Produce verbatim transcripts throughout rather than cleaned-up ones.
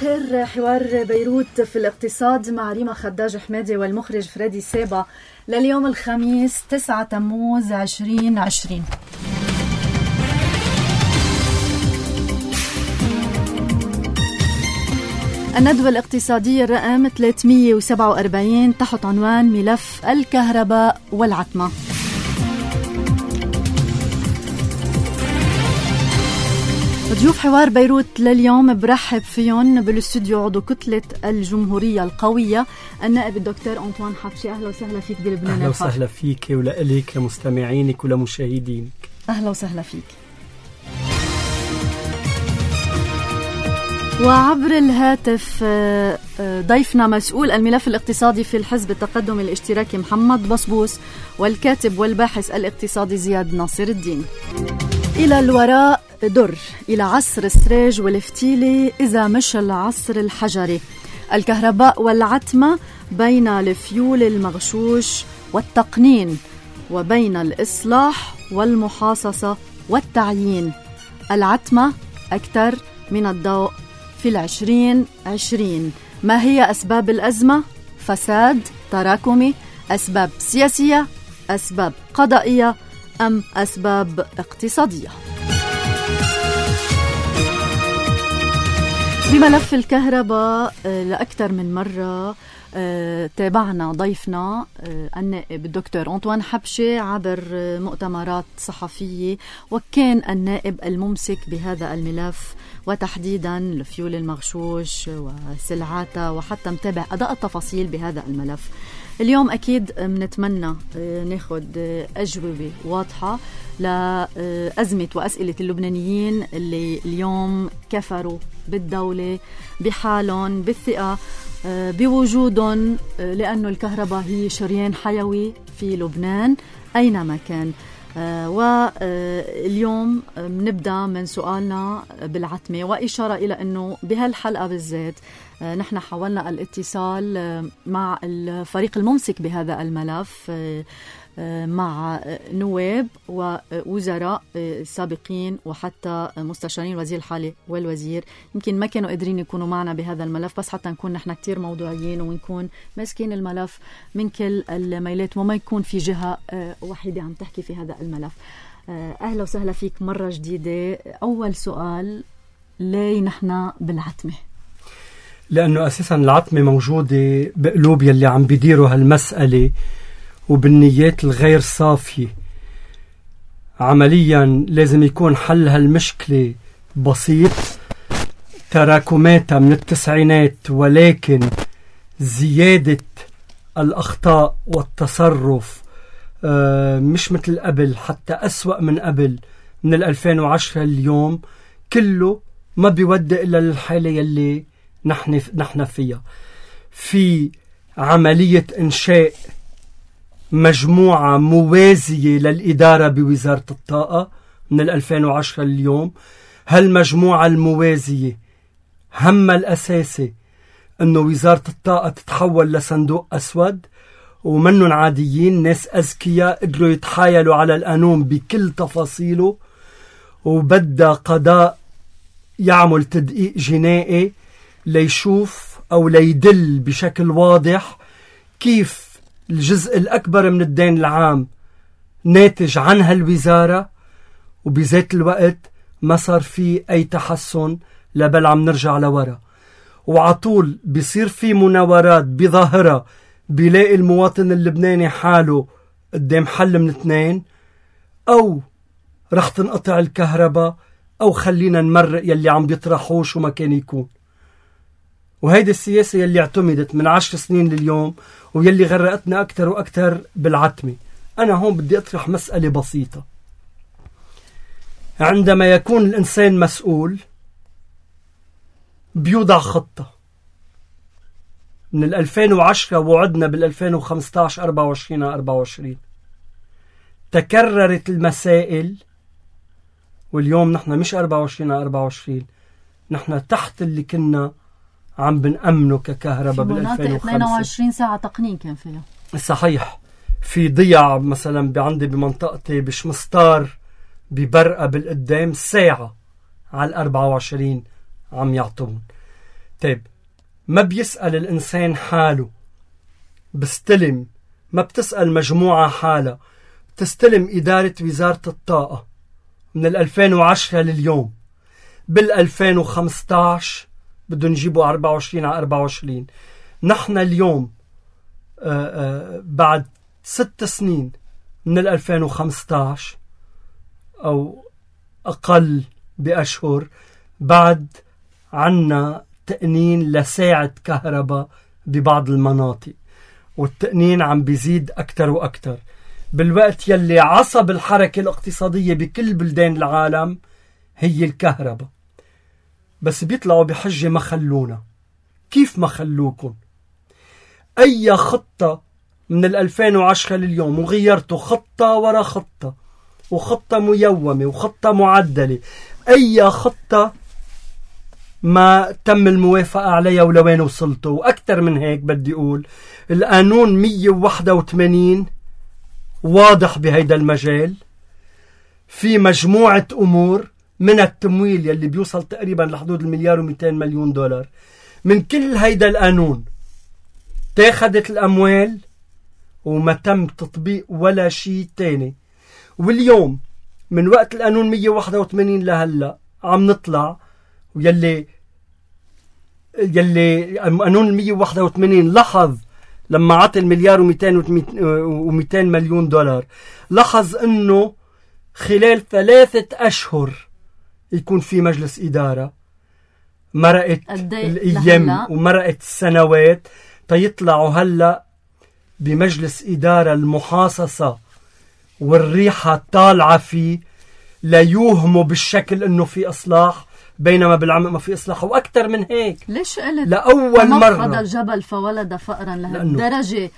الخير. حوار بيروت في الاقتصاد مع ريما خداج حمادي والمخرج فريدي سيبا لليوم الخميس تسعة تموز عشرين عشرين. الندوة الاقتصادية الرقم ثلاثمية وسبعة وأربعين تحت عنوان ملف الكهرباء والعتمة. ضيوف حوار بيروت لليوم برحب فيهم بالاستوديو عضو كتلة الجمهورية القوية النائب الدكتور أنطوان حبشي. أهلا وسهلا فيك بلبنان. أهلا وسهلا فيك ولإلك لمستمعينك ولمشاهدينك. أهلا وسهلا فيك. وعبر الهاتف ضيفنا مسؤول الملف الاقتصادي في الحزب التقدم الاشتراكي محمد بصبوس والكاتب والباحث الاقتصادي زياد ناصر الدين. إلى الوراء در، إلى عصر السريج والفتيلة إذا مش العصر الحجري. الكهرباء والعتمة بين الفيول المغشوش والتقنين وبين الإصلاح والمحاصصة والتعيين. العتمة أكثر من الضوء في العشرين عشرين. ما هي أسباب الأزمة؟ فساد تراكمي، أسباب سياسية، أسباب قضائية أم أسباب اقتصادية؟ بملف الكهرباء لأكثر من مرة تابعنا ضيفنا النائب الدكتور أنطوان حبشي عبر مؤتمرات صحفية، وكان النائب الممسك بهذا الملف وتحديدا الفيول المغشوش وسلعاته، وحتى متابع أداء التفاصيل بهذا الملف. اليوم أكيد منتمنى ناخد أجوبة واضحة لأزمة وأسئلة اللبنانيين اللي اليوم كفروا بالدولة بحالهم بالثقة بوجودهم، لأنه الكهرباء هي شريان حيوي في لبنان أينما كان. واليوم نبدأ من سؤالنا بالعتمة، وإشارة إلى أنه بهالحلقة بالذات نحن حاولنا الاتصال مع الفريق الممسك بهذا الملف، مع نواب ووزراء سابقين وحتى مستشارين الوزير الحالي والوزير. يمكن ما كانوا قادرين يكونوا معنا بهذا الملف، بس حتى نكون نحن كتير موضوعيين ونكون ماسكين الملف من كل الميلات وما يكون في جهة وحيدة عم تحكي في هذا الملف. أهلا وسهلا فيك مرة جديدة. أول سؤال، ليه نحن بالعتمة؟ لأنه أساسا العتمة موجودة بقلوب يلي عم بيديروا هالمسألة وبالنيات الغير صافية. عمليا لازم يكون حل هالمشكلة بسيط، تراكماتها من التسعينات، ولكن زيادة الأخطاء والتصرف آه مش مثل قبل، حتى أسوأ من قبل من الألفين وعشرة اليوم، كله ما بيودي إلا للحالة يلي نحن, نحن فيها. في عملية إنشاء مجموعة موازية للإدارة بوزارة الطاقة من الألفين وعشرة اليوم. هالمجموعة الموازية همها الأساسي أنه وزارة الطاقة تتحول لصندوق أسود، ومنهم عاديين، ناس أذكياء قدروا يتحايلوا على القانون بكل تفاصيله، وبدأ قضاء يعمل تدقيق جنائي ليشوف أو ليدل بشكل واضح كيف الجزء الأكبر من الدين العام ناتج عن هالوزارة، وبذات الوقت ما صار فيه أي تحسن، لبل عم نرجع لورا. وعطول بيصير في مناورات بظاهرة، بيلاقي المواطن اللبناني حاله قدام حل من اثنين: أو رح تنقطع الكهرباء، أو خلينا نمرق يلي عم بيطرحوش وما كان يكون. وهيدي السياسة يلي اعتمدت من عشر سنين لليوم، ويلي غرقتنا أكتر وأكتر بالعتمة. أنا هون بدي أطرح مسألة بسيطة. عندما يكون الإنسان مسؤول بيوضع خطة. من الألفين وعشرة وعدنا بالألفين وخمسة عشر أربعة وعشرين أربعة وعشرين، تكررت المسائل، واليوم نحن مش أربعة وعشرين أربعة وعشرين، نحن تحت اللي كنا عم بنأمنه ككهرباء بالألفين وخمسة. اثنين وعشرين ساعة تقنين كان فيها. صحيح. في ضياع مثلا بعندي بمنطقتي بشمستار ببرقة بالقدام ساعة على الأربعة وعشرين عم يعطون. طيب ما بيسأل الإنسان حاله، بستلم، ما بتسأل مجموعة حالة، بتستلم إدارة وزارة الطاقة من الألفين وعشرة لليوم. بالألفين وخمسطعش بدهم يجيبوا أربعة وعشرين على أربعة وعشرين. نحن اليوم آآ آآ بعد ست سنين من الألفين وخمسطعش أو أقل بأشهر، بعد عنا تقنين لساعة كهرباء ببعض المناطق، والتقنين عم بيزيد أكتر وأكتر، بالوقت يلي عصب الحركة الاقتصادية بكل بلدان العالم هي الكهرباء. بس بيطلعوا بحجة ما خلونا. كيف ما خلوكم؟ أي خطة من الألفين وعشرة لليوم وغيرتوا خطة ورا خطة، وخطة ميومة وخطة معدلة، أي خطة ما تم الموافقة عليها ولوين وصلتوا. وأكثر من هيك بدي أقول القانون مية وواحد وثمانين واضح بهيدا المجال، في مجموعة أمور من التمويل يلي بيوصل تقريبا لحدود المليار ومئتين مليون دولار من كل هيدا القانون تاخدت الأموال وما تم تطبيق ولا شيء تاني. واليوم من وقت القانون مية وواحد وثمانين لهلا عم نطلع، ويلي يلي قانون مية وواحد وثمانين لاحظ لما عطى المليار ومئتين مليون دولار، لاحظ انه خلال ثلاثة اشهر يكون في مجلس ادارة. مرقت الايام ومرقت السنوات تيطلعوا هلا بمجلس ادارة المحاصصة والريحة طالعة فيه، لا يوهموا بالشكل انه في اصلاح، بينما بالعمق ما في اصلاح. واكثر من هيك، ليش قلت لاول مره هذا الجبل فولد فأرا لهالدرجه؟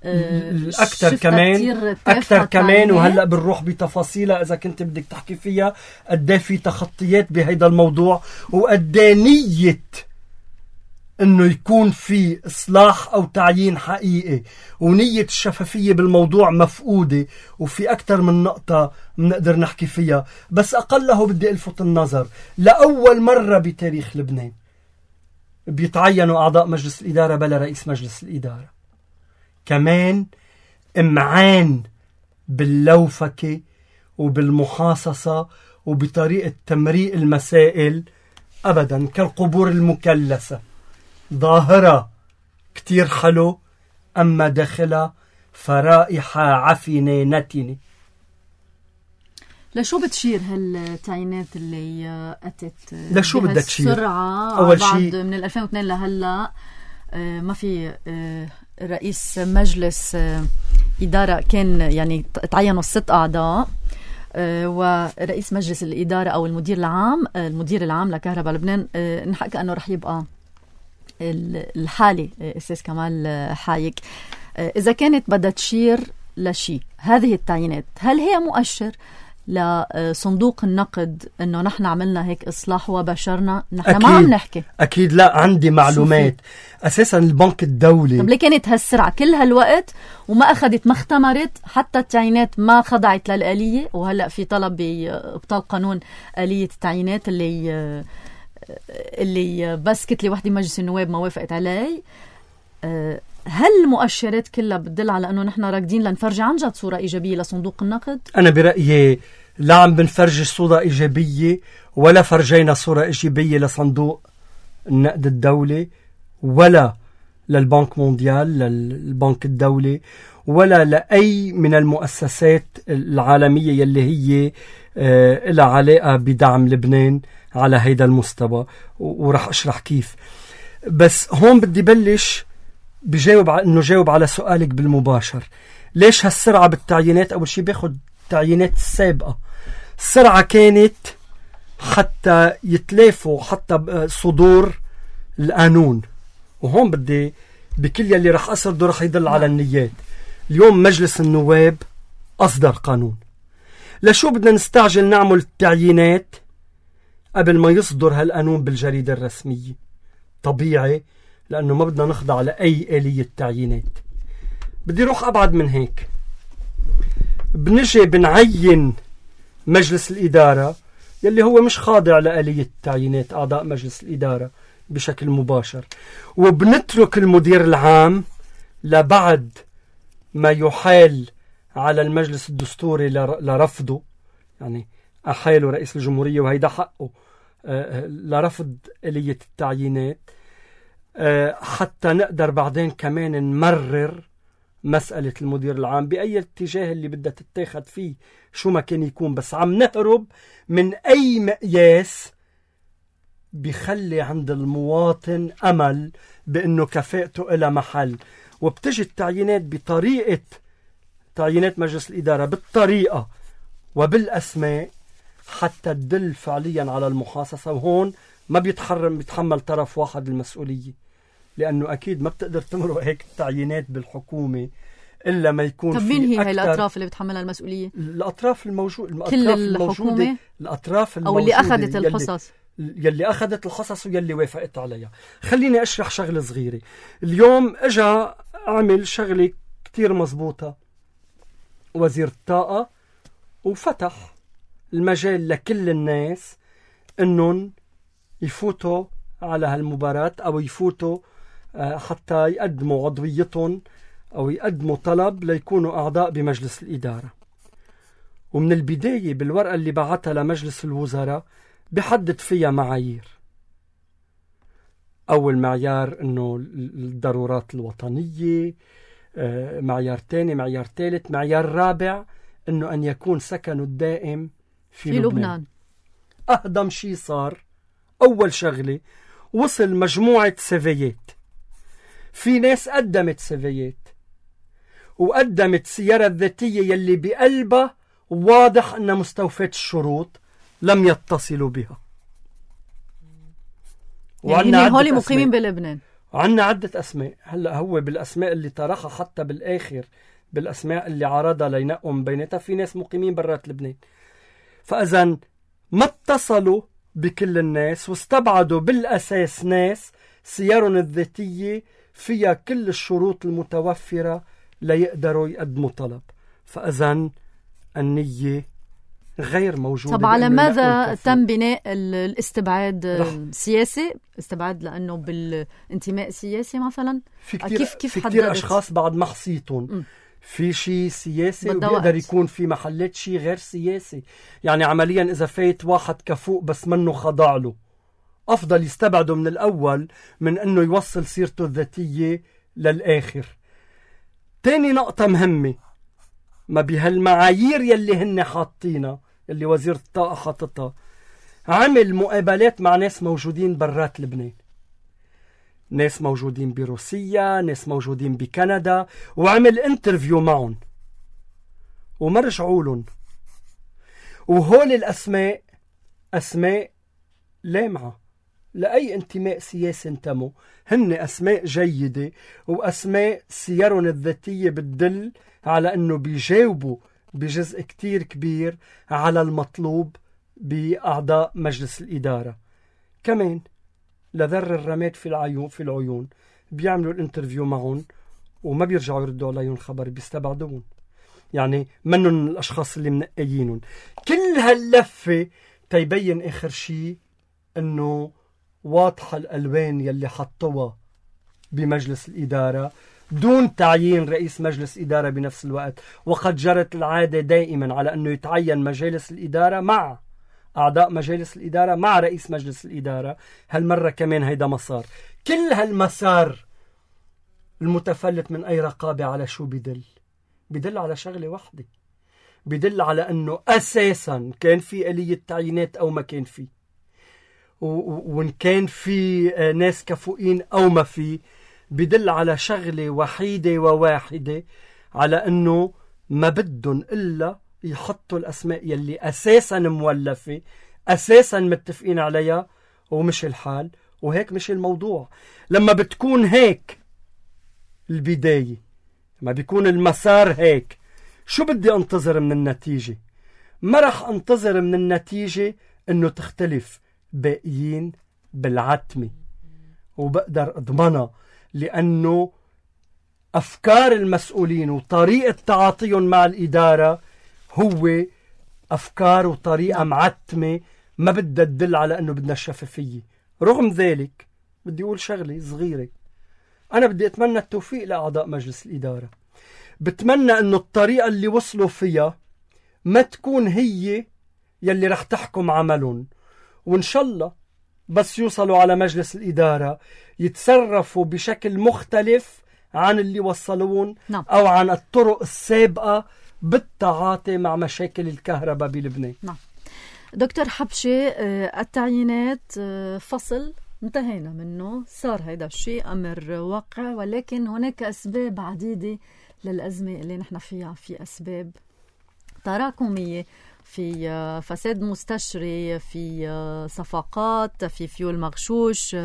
اكثر كمان اكثر كمان وهلا بنروح بتفاصيلها اذا كنت بدك تحكي فيها. قد ايه في تخطيات بهيدا الموضوع، وقد ايه نيه انه يكون في اصلاح او تعيين حقيقي، ونيه الشفافيه بالموضوع مفقوده. وفي اكثر من نقطه بنقدر نحكي فيها، بس اقله بدي الفت النظر لاول مره بتاريخ لبنان بيتعينوا اعضاء مجلس الاداره بلا رئيس مجلس الاداره. كمان امعان باللوفكه وبالمحاصصه وبطريقه تمريق المسائل ابدا، كالقبور المكلسه، ظاهرة كتير حلو أما داخلها فرائحة عفنة نتنة. لشو بتشير هالتعيينات اللي أتت لشو بدها تشير؟ بسرعة أول شيء من ألفين واثنين لهلا ما في رئيس مجلس إدارة، كان يعني تعينوا الست أعضاء، ورئيس مجلس الإدارة أو المدير العام المدير العام لكهرباء لبنان نحكي أنه رح يبقى الحالي أستاذ كمال حايك. إذا كانت بدها تشير لشيء هذه التعيينات، هل هي مؤشر لصندوق النقد إنه نحن عملنا هيك إصلاح وبشرنا؟ نحن ما عم نحكي. أكيد لا، عندي معلومات. أساسا البنك الدولي، طب ليه كانت هالسرعة كل هالوقت وما أخذت ما اختمرت حتى التعيينات ما خضعت للآلية؟ وهلأ في طلب بإبطال قانون آلية التعيينات اللي اللي بس كتلة وحدة مجلس النواب ما وافقت عليه. هل المؤشرات كلها بتدل على أنه نحن راكدين لنفرج عن جد صورة إيجابية لصندوق النقد؟ أنا برأيي لا عم بنفرج صورة إيجابية ولا فرجينا صورة إيجابية لصندوق النقد الدولي ولا للبنك مونديال للبنك الدولي ولا لأي من المؤسسات العالمية يلي هي آه لها علاقة بدعم لبنان على هيدا المستوى، ورح أشرح كيف. بس هون بدي بلش بجاوب على إنه جاوب على سؤالك بالمباشر. ليش هالسرعة بالتعيينات؟ أول شيء باخد التعيينات السابقة. السرعة كانت حتى يتلافوا حتى صدور القانون، وهون بدي بكل يلي رح أسرده رح يدل على النيات. اليوم مجلس النواب أصدر قانون. لشو بدنا نستعجل نعمل التعيينات قبل ما يصدر هالقانون بالجريدة الرسمية؟ طبيعي، لأنه ما بدنا نخضع لأي آلية تعيينات. بدي روح أبعد من هيك. بنجي بنعين مجلس الإدارة يلي هو مش خاضع لآلية التعيينات، أعضاء مجلس الإدارة بشكل مباشر، وبنترك المدير العام لبعد ما يحال على المجلس الدستوري لرفضه، يعني أحاله رئيس الجمهورية وهيدا حقه لرفض آلية التعيينات، حتى نقدر بعدين كمان نمرر مسألة المدير العام بأي اتجاه اللي بدها تتاخد فيه شو ما كان يكون. بس عم نهرب من أي مقياس بيخلي عند المواطن أمل بأنه كفاءته إلى محل. وبتجي التعيينات بطريقة تعيينات مجلس الإدارة بالطريقة وبالأسماء حتى تدل فعليا على المحاصصة، وهون ما بيتحرم بيتحمل طرف واحد المسؤولية، لأنه أكيد ما بتقدر تمرق هيك التعيينات بالحكومة إلا ما يكون في. طب مين هي هاي الأطراف اللي بتحملها المسؤولية؟ الأطراف الموجودة، كل الحكومة الأطراف أو اللي أخذت الحصص، يلي أخذت الحصص ويلي وافقت عليها. خليني أشرح شغلة صغيرة. اليوم أجا عمل شغلة كتير مزبوطة وزير الطاقة، وفتح المجال لكل الناس إنهم يفوتوا على هالمباراة أو يفوتوا حتى يقدموا عضويتهم أو يقدموا طلب ليكونوا أعضاء بمجلس الإدارة. ومن البداية بالورقة اللي بعتها لمجلس الوزراء بحدد فيها معايير. أول معيار إنه الضرورات الوطنية، معيار تاني، معيار ثالث، معيار رابع إنه أن يكون سكنه الدائم في, في لبنان. لبنان. أهضم شيء صار أول شغلة وصل مجموعة سيفيات. في ناس قدمت سيفيات وقدمت سيارة ذاتية يلي بقلبها واضح أنها مستوفية الشروط، لم يتصلوا بها. يعني هولي مقيمين بلبنان. عنا عدة أسماء. هلأ هو بالأسماء اللي طرحها حتى بالآخر بالأسماء اللي عرضها لينقوا بيناتها في ناس مقيمين برات لبنان. فإذا ما اتصلوا بكل الناس واستبعدوا بالأساس ناس سيارهم الذاتية فيها كل الشروط المتوفرة ليقدروا يقدموا طلب. فإذا النية غير موجودة. طب على ماذا تم بناء الاستبعاد السياسي؟ استبعاد لأنه بالانتماء السياسي مثلا؟ في كتير, كيف كيف في كتير أشخاص بعد ما حصيتهم في شيء سياسي وبيقدر يكون في محلات شيء غير سياسي. يعني عمليا إذا فايت واحد كفوق بس منه خضع له، أفضل يستبعده من الأول من أنه يوصل سيرته الذاتية للآخر. تاني نقطة مهمة، ما بهالمعايير يلي هن حاطينها اللي وزير الطاقة حاطتها، عمل مقابلات مع ناس موجودين برات لبنان، ناس موجودين بروسيا، ناس موجودين بكندا، وعمل انترفيو معهم وما رجعوا لهم. وهول الأسماء أسماء لامعة لأي انتماء سياسي انتموا، هن أسماء جيدة وأسماء سيرهم الذاتية بتدل على أنه بيجاوبوا بجزء كتير كبير على المطلوب بأعضاء مجلس الإدارة. كمان لذر الرماد في العيون في العيون بيعملوا الانترفيو معهم وما بيرجعوا يردوا عليهم خبر، بيستبعدون. يعني منهم الأشخاص اللي منقيينهم. كل هاللفة تيبين آخر شيء أنه واضحة الألوان يلي حطوها بمجلس الإدارة دون تعيين رئيس مجلس إدارة بنفس الوقت. وقد جرت العادة دائما على أنه يتعين مجالس الإدارة مع أعضاء مجالس الإدارة مع رئيس مجلس الإدارة. هالمرة كمان هيدا مسار. كل هالمسار المتفلت من أي رقابة على شو بدل؟ بدل على شغلة واحدة، بدل على أنه أساسا كان في آلية تعيينات أو ما كان في، وإن كان في ناس كفؤين أو ما في، بدل على شغلة وحيدة وواحدة، على أنه ما بدهم إلا يحطوا الأسماء يلي أساسا مولفة أساسا متفقين عليها ومش الحال. وهيك مش الموضوع. لما بتكون هيك البداية، لما بيكون المسار هيك، شو بدي انتظر من النتيجة؟ ما رح انتظر من النتيجة انه تختلف باقيين بالعتمة، وبقدر اضمنها لانه افكار المسؤولين وطريقة تعاطيهم مع الادارة هو افكار وطريقة معتمة ما بدها تدل على انه بدنا الشفافية. رغم ذلك بدي أقول شغلة صغيرة. أنا بدي أتمنى التوفيق لأعضاء مجلس الإدارة. بتمنى أنه الطريقة اللي وصلوا فيها ما تكون هي يلي رح تحكم عملهم، وإن شاء الله بس يوصلوا على مجلس الإدارة يتصرفوا بشكل مختلف عن اللي وصلون نعم. أو عن الطرق السابقة بالتعاطي مع مشاكل الكهرباء بلبنان. نعم. دكتور حبشي، التعيينات فصل انتهينا منه، صار هيدا الشيء أمر واقع، ولكن هناك أسباب عديدة للأزمة اللي نحن فيها. في أسباب تراكمية، في فساد مستشري، في صفقات، في فيول مغشوش،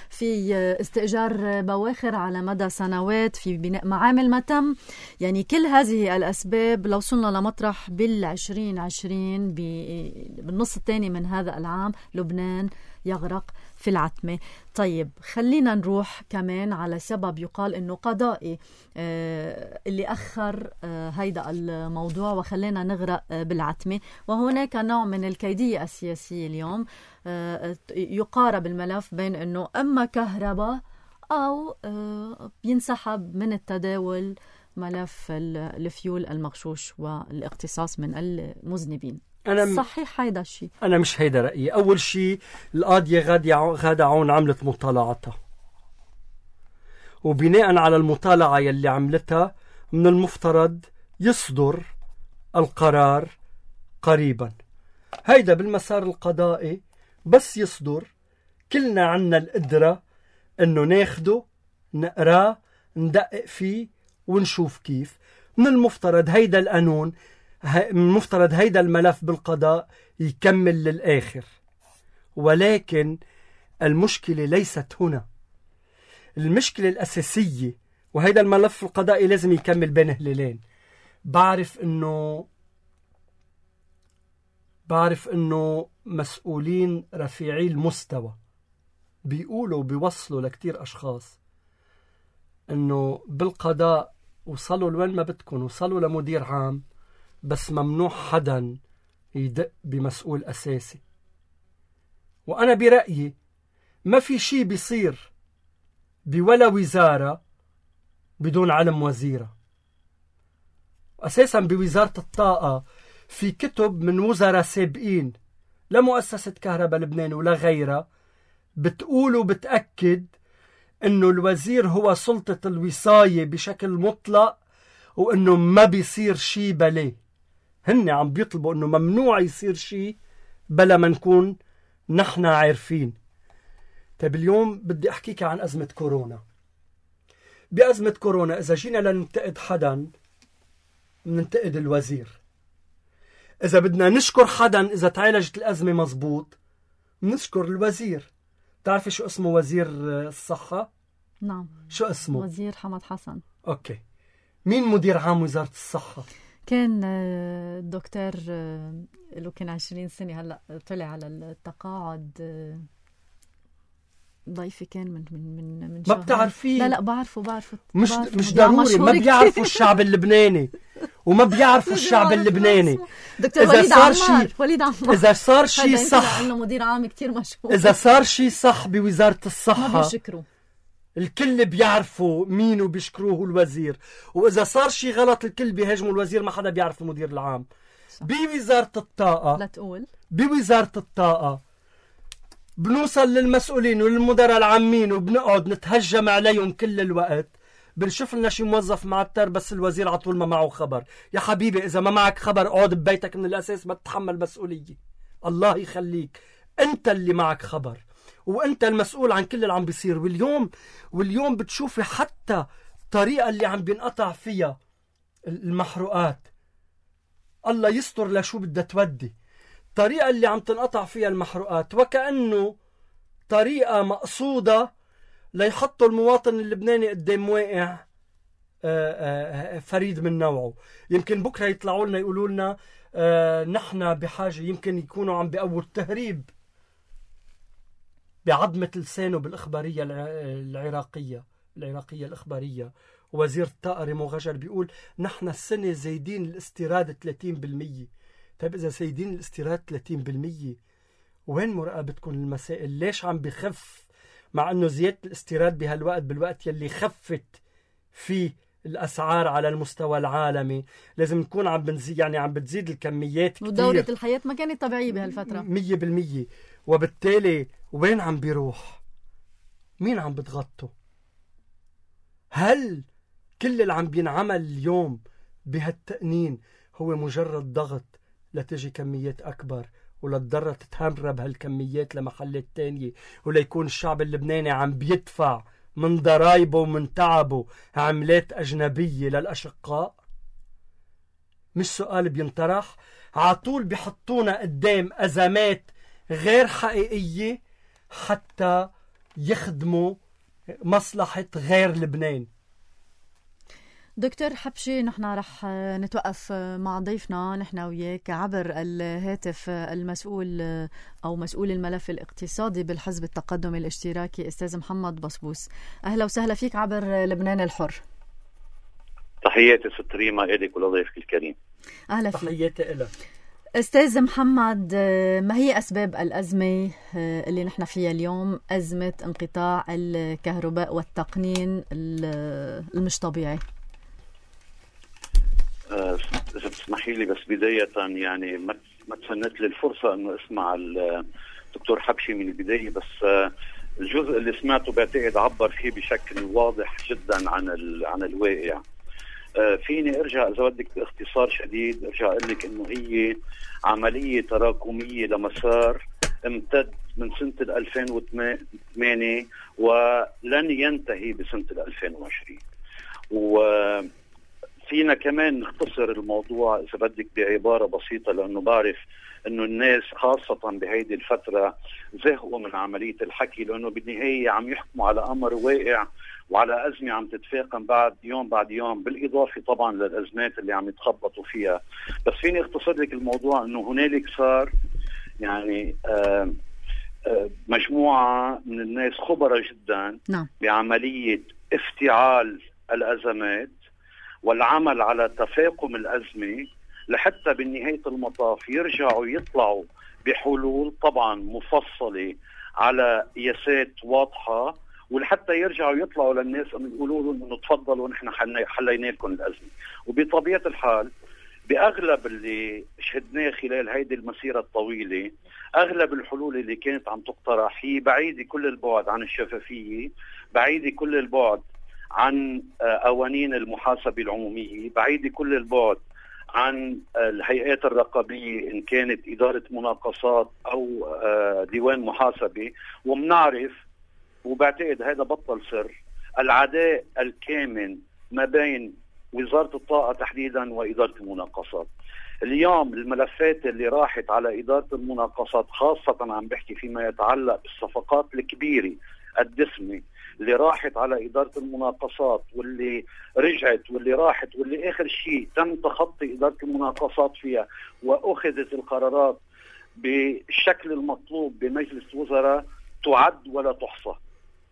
في استئجار بواخر على مدى سنوات، في بناء معامل ما تم. يعني كل هذه الأسباب لو وصلنا لمطرح بالعشرين عشرين بالنص الثاني من هذا العام لبنان يغرق في العتمة. طيب خلينا نروح كمان على سبب يقال انه قضائي آه اللي اخر آه هيدا الموضوع وخلينا نغرق آه بالعتمة. وهناك نوع من الكيدية السياسية اليوم، آه يقارب الملف بين انه اما كهرباء او آه ينسحب من التداول ملف الفيول المغشوش والاقتصاص من المذنبين. أنا صحيح هيدا الشيء؟ أنا مش هيدا رأيي. أول شيء القاضية غادة عون عملت مطالعتها، وبناء على المطالعة يلي عملتها من المفترض يصدر القرار قريبا. هيدا بالمسار القضائي بس يصدر كلنا عنا القدرة إنه ناخده نقراه ندقق فيه ونشوف كيف. من المفترض هيدا القانون، المفترض هيدا الملف بالقضاء يكمل للآخر. ولكن المشكلة ليست هنا. المشكلة الأساسية، وهيدا الملف القضائي لازم يكمل بين هلالين. بعرف إنه بعرف إنه مسؤولين رفيعي المستوى بيقولوا بيوصلوا لكتير أشخاص إنه بالقضاء وصلوا لوين ما بدكم، وصلوا لمدير عام، بس ممنوع حدا يدق بمسؤول أساسي. وأنا برأيي ما في شي بيصير بولا وزارة بدون علم وزيرة. أساسا بوزارة الطاقة في كتب من وزراء سابقين لمؤسسة كهرباء لبنان ولا غيرها بتقول وبتأكد إنه الوزير هو سلطة الوصاية بشكل مطلق، وإنه ما بيصير شي بليه. هن عم بيطلبوا إنه ممنوع يصير شي بلا ما نكون نحن عارفين. طيب اليوم بدي أحكيك عن أزمة كورونا. بأزمة كورونا إذا جينا لننتقد حدا ننتقد الوزير. إذا بدنا نشكر حدا إذا تعالجت الأزمة مزبوط نشكر الوزير. تعرفي شو اسمه وزير الصحة؟ نعم. شو اسمه؟ وزير حمد حسن. أوكي. مين مدير عام وزارة الصحة؟ كان الدكتور له كان عشرين سنة هلأ طلع على التقاعد. ضيفي كان من من من من ما بتعرفيه؟ لا لا بعرفه بعرفه مش بعرفه مش ضروري. ما بيعرفوا الشعب اللبناني وما بيعرفوا الشعب اللبناني. دكتور إذا وليد صار عمار شي وليد عمار إذا صار شي صح إنه مدير عام كتير مشهور. إذا صار شي صح بوزارة الصحة ما بيشكروا، الكل بيعرفوا مين وبيشكروه الوزير. وإذا صار شي غلط الكل بيهاجموا الوزير، ما حدا بيعرف المدير العام. بوزارة الطاقة لا تقول بوزارة الطاقة بنوصل للمسؤولين وللمدراء العامين وبنقعد نتهجم عليهم كل الوقت. بنشوف لنا شي موظف معتر بس الوزير على طول ما معه خبر. يا حبيبي إذا ما معك خبر اقعد ببيتك من الأساس، ما تتحمل مسؤولية. الله يخليك، أنت اللي معك خبر وأنت المسؤول عن كل اللي عم بيصير. واليوم واليوم بتشوفي حتى الطريقة اللي عم بينقطع فيها المحروقات. الله يستر لشو بدها تودي. الطريقة اللي عم تنقطع فيها المحروقات وكأنه طريقة مقصودة ليحطوا المواطن اللبناني قدام واقع فريد من نوعه. يمكن بكرة يطلعوا لنا يقولوا لنا نحن بحاجة، يمكن يكونوا عم بيقووا التهريب بعظمة لسانه بالإخبارية العراقية العراقية الإخبارية. وزير الطاقة ريمو غجر بيقول نحن السنة زايدين الاستيراد ثلاثين بالمية. طيب إذا زايدين الاستيراد ثلاثين بالمية وين مراقبتكم المسائل؟ ليش عم بخف مع أنه زيادة الاستيراد بهالوقت بالوقت يلي خفت فيه الأسعار على المستوى العالمي لازم نكون عم بنزيد، يعني عم بتزيد الكميات كتير، ودورة الحياة ما كانت طبيعية بهالفترة مية بالمية. وبالتالي وين عم بيروح؟ مين عم بتغطوا؟ هل كل اللي عم بينعمل اليوم بهالتقنين هو مجرد ضغط لتجي كميات أكبر ولتضرر تتهرب هالكميات لمحلات تانية وليكون الشعب اللبناني عم بيدفع من ضرايبه ومن تعبه عملات أجنبية للأشقاء؟ مش سؤال بينطرح، عطول بيحطونا قدام أزمات غير حقيقية حتى يخدموا مصلحة غير لبنان. دكتور حبشي، نحن رح نتوقف مع ضيفنا نحن وياك عبر الهاتف المسؤول أو مسؤول الملف الاقتصادي بالحزب التقدمي الاشتراكي أستاذ محمد بصبوس. أهلا وسهلا فيك عبر لبنان الحر. تحياتي ست ريما إليك ولضيفك الكريم. أهلا فيك. تحياتي إلك أستاذ محمد، ما هي أسباب الأزمة اللي نحن فيها اليوم، أزمة انقطاع الكهرباء والتقنين المش طبيعي؟ إذا بتسمحي لي بس بداية يعني ما تفنت لي الفرصة إنه أسمع الدكتور حبشي من البداية، بس الجزء اللي سمعته بعتقد عبر فيه بشكل واضح جدا عن عن الواقع. فيني ارجع اذا بدك باختصار شديد ارجع اقول لك انه هي عمليه تراكميه لمسار امتد من سنه ألفين وثمانية ولن ينتهي بسنه ألفين وعشرين. وفينا كمان نختصر الموضوع اذا بدك بعباره بسيطه، لانه بعرف انه الناس خاصه بهيدي الفتره زهقوا من عمليه الحكي، لانه بالنهايه عم يحكموا على امر واقع وعلى أزمة عم تتفاقم بعد يوم بعد يوم، بالإضافة طبعا للأزمات اللي عم يتخبطوا فيها. بس فيني اختصر لك الموضوع أنه هنالك صار يعني آآ آآ مجموعة من الناس خبرة جدا نعم. بعملية افتعال الأزمات والعمل على تفاقم الأزمة لحتى بالنهاية المطاف يرجعوا يطلعوا بحلول طبعا مفصلة على قياسات واضحة، ولحتى يرجعوا يطلعوا للناس يقولوا لهم انه تفضلوا نحن حلينا لكم الازمه. وبطبيعه الحال باغلب اللي شهدناه خلال هيدي المسيره الطويله، اغلب الحلول اللي كانت عم تقترح هي بعيده كل البعد عن الشفافيه، بعيده كل البعد عن قوانين المحاسبه العموميه، بعيده كل البعد عن الهيئات الرقابيه ان كانت اداره مناقصات او ديوان محاسبه. ومنعرف وبعتقد هذا بطل سر العداء الكامن ما بين وزارة الطاقة تحديدا وإدارة المناقصات. اليوم الملفات اللي راحت على إدارة المناقصات خاصة عم بحكي فيما يتعلق بالصفقات الكبيرة الدسمة اللي راحت على إدارة المناقصات واللي رجعت واللي راحت واللي آخر شيء تم تخطي إدارة المناقصات فيها وأخذت القرارات بالشكل المطلوب بمجلس الوزراء تعد ولا تحصى.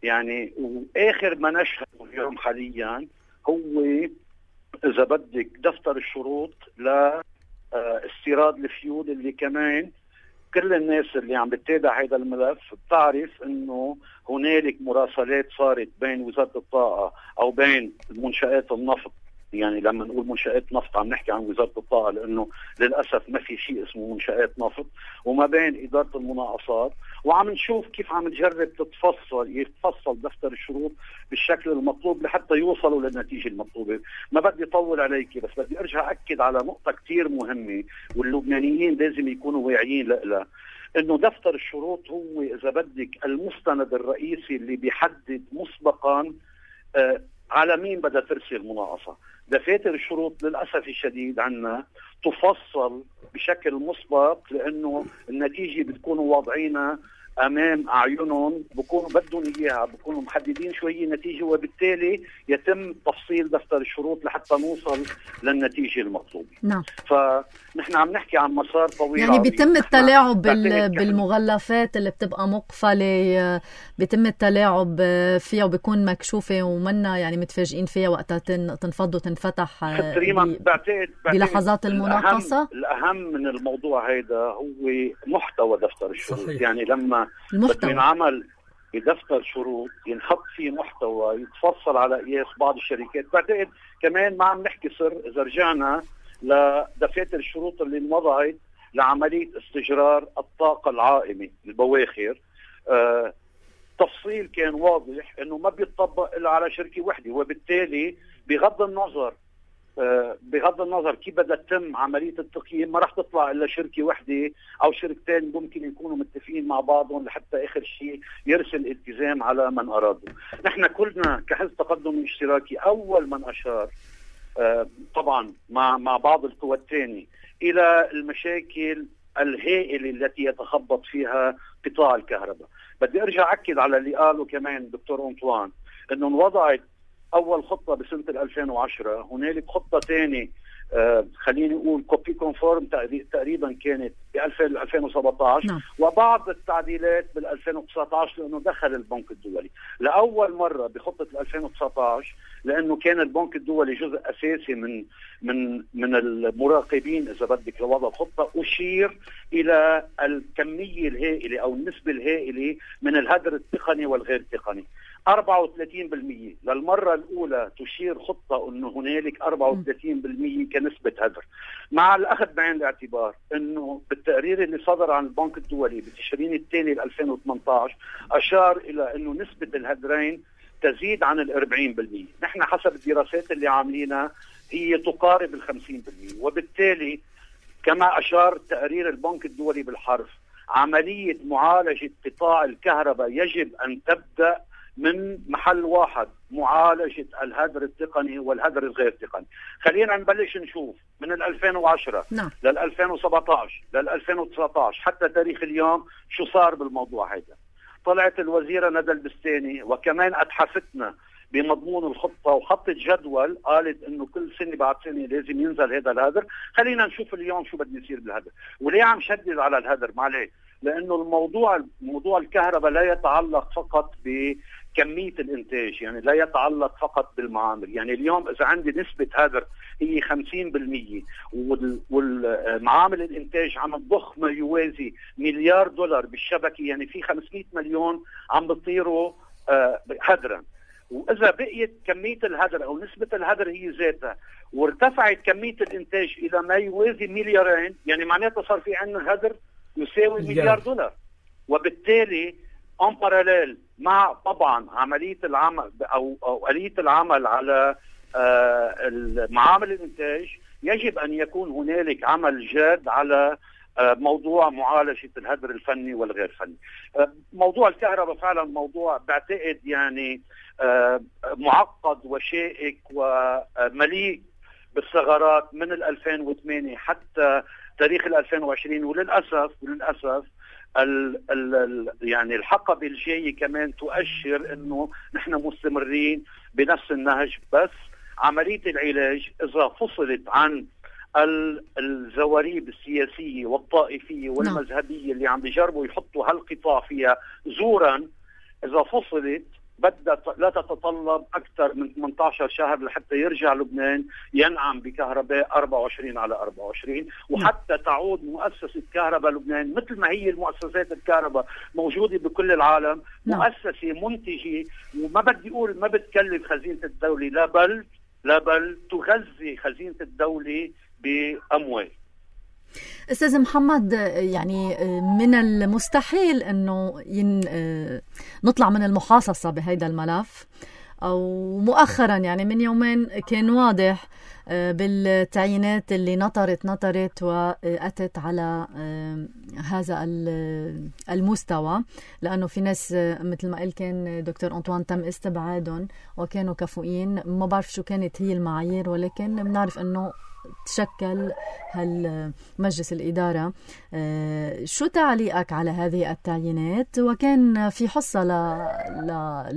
يعني واخر ما نشهده اليوم حاليا هو اذا بدك دفتر الشروط لاستيراد الفيول، اللي كمان كل الناس اللي عم بتتابع هذا الملف بتعرف انه هنالك مراسلات صارت بين وزارة الطاقة او بين منشآت النفط. يعني لما نقول منشآت نفط عم نحكي عن وزارة الطاقة، لأنه للأسف ما في شيء اسمه منشآت نفط، وما بين إدارة المناقصات، وعم نشوف كيف عم تجرب تتفصل يتفصل دفتر الشروط بالشكل المطلوب لحتى يوصلوا للنتيجة المطلوبة. ما بدي أطول عليك، بس بدي أرجع أكد على نقطة كتير مهمة واللبنانيين لازم يكونوا واعيين لها، إنه دفتر الشروط هو إذا بدك المستند الرئيسي اللي بيحدد مسبقا آه على مين بدها ترسل مناقصة. دفاتر الشروط للأسف الشديد عنا تفصل بشكل مسبق، لأنه النتيجة بتكون واضعينها أمام أعينهم، بكونوا بدهم إياها، بكونوا محددين شوية نتيجة، وبالتالي يتم تفصيل دفتر الشروط لحتى نوصل للنتيجة المطلوبة. نعم. فنحن عم نحكي عن مسار طويل، يعني بيتم التلاعب بالمغلفات اللي بتبقى مقفلة، بيتم التلاعب فيها وبيكون مكشوفة ومنا يعني متفاجئين فيها وقتها تنفض وتنفتح بلحظات المناقصة. الأهم من الموضوع هيدا هو محتوى دفتر الشروط. صحيح. يعني لما بده ينعمل بدفتر شروط ينحط فيه محتوى يتفصل على قياس بعض الشركات. بعتقد كمان ما عم نحكي سر اذا رجعنا لدفاتر الشروط اللي انوضعت لعمليه استجرار الطاقه العائمه البواخر، آه تفصيل كان واضح انه ما بيطبق الا على شركه وحده، وبالتالي بغض النظر آه بغض النظر كيف بدها تتم عمليه التقييم ما راح تطلع الا شركه وحده او شركتين ممكن يكونوا متفقين مع بعضهم لحتى اخر شيء يرسل التزام على من ارادوا. نحن كلنا كحزب تقدم اشتراكي اول من اشار آه طبعا مع مع بعض القوى الثانيه الى المشاكل الهائله التي يتخبط فيها قطاع الكهرباء. بدي ارجع اكد على اللي قاله كمان دكتور أنطوان انه انوضعت اول خطه بسنه ألفين وعشرة، هنالك خطه ثانيه آه خليني اقول كوبي كونفورم تقريبا كانت ب ألفين وسبعة عشر نعم. وبعض التعديلات بال ألفين وتسعة عشر لانه دخل البنك الدولي لاول مره بخطه ألفين وتسعة عشر، لانه كان البنك الدولي جزء اساسي من من من المراقبين اذا بدك لوضع الخطه، اشير الى الكميه الهائله او النسبه الهائله من الهدر التقني والغير تقني. أربعة وثلاثين بالمئة للمرة الأولى تشير خطة أنه هنالك أربعة وثلاثين بالمئة كنسبة هدر، مع الأخذ بعين الاعتبار أنه بالتقرير اللي صدر عن البنك الدولي بتشرين الثاني ل ألفين وثمانية عشر أشار إلى أنه نسبة الهدرين تزيد عن الأربعين بالمئة. نحن حسب الدراسات اللي عاملينها هي تقارب الخمسين بالمئة، وبالتالي كما أشار تقرير البنك الدولي بالحرف عملية معالجة قطاع الكهرباء يجب أن تبدأ من محل واحد، معالجة الهدر التقني والهدر الغير تقني. خلينا نبلش نشوف من ألفين وعشرة نعم. لل ألفين وسبعة عشر لل ألفين وتسعة عشر حتى تاريخ اليوم شو صار بالموضوع هذا. طلعت الوزيرة ندى البستاني وكمان أتحفتنا بمضمون الخطة وحطت جدول قالت انه كل سنة بعد سنة لازم ينزل هذا الهدر. خلينا نشوف اليوم شو بده يصير بالهدر. وليه عم شدد على الهدر؟ معليه لانه الموضوع موضوع الكهرباء لا يتعلق فقط بكمية الانتاج، يعني لا يتعلق فقط بالمعامل. يعني اليوم اذا عندي نسبة هدر هي خمسين بالمئة والمعامل الانتاج عم تضخ ما يوازي مليار دولار بالشبكة، يعني في خمسمئة مليون عم بيطيروا آه هدرا. وإذا بقيت كمية الهدر أو نسبة الهدر هي ذاتها وارتفعت كمية الإنتاج إلى ما يوازي مليارين، يعني معناتها صار في عندنا هدر يساوي مليار دولار. وبالتالي ان باراليل مع طبعا عملية العمل أو, أو آلية العمل على آه معامل الإنتاج يجب أن يكون هنالك عمل جاد على موضوع معالجة الهدر الفني والغير فني. موضوع الكهرباء فعلا موضوع بعتقد يعني معقد وشائك ومليء بالثغرات من ألفين وثمانية حتى تاريخ ألفين وعشرين، وللأسف وللأسف ال ال يعني الحقبة الجاية كمان تؤشر انه نحن مستمرين بنفس النهج. بس عملية العلاج اذا فصلت عن الزواريب السياسية والطائفية والمذهبية اللي عم بيجربوا يحطوا هالقطاع فيها زورا، إذا فصلت بدها لا تتطلب أكثر من ثمانية عشر شهر لحتى يرجع لبنان ينعم بكهرباء أربعة وعشرين على أربعة وعشرين، وحتى تعود مؤسسة كهرباء لبنان مثل ما هي المؤسسات الكهرباء موجودة بكل العالم، مؤسسة منتجة وما بدي أقول ما بتكلف خزينة الدولة، لا بل لا بل تغذي خزينة الدولة بأموال. أستاذ محمد، يعني من المستحيل أنه ين... نطلع من المحاصصة بهذا الملف، أو مؤخرا يعني من يومين كان واضح بالتعيينات اللي نطرت نطرت وأتت على هذا المستوى، لأنه في ناس مثل ما قال كان دكتور أنطوان تم استبعادهم وكانوا كفؤين. ما بعرف شو كانت هي المعايير، ولكن بنعرف أنه تشكل هالمجلس الإدارة. شو تعليقك على هذه التعيينات؟ وكان في حصة ل... ل...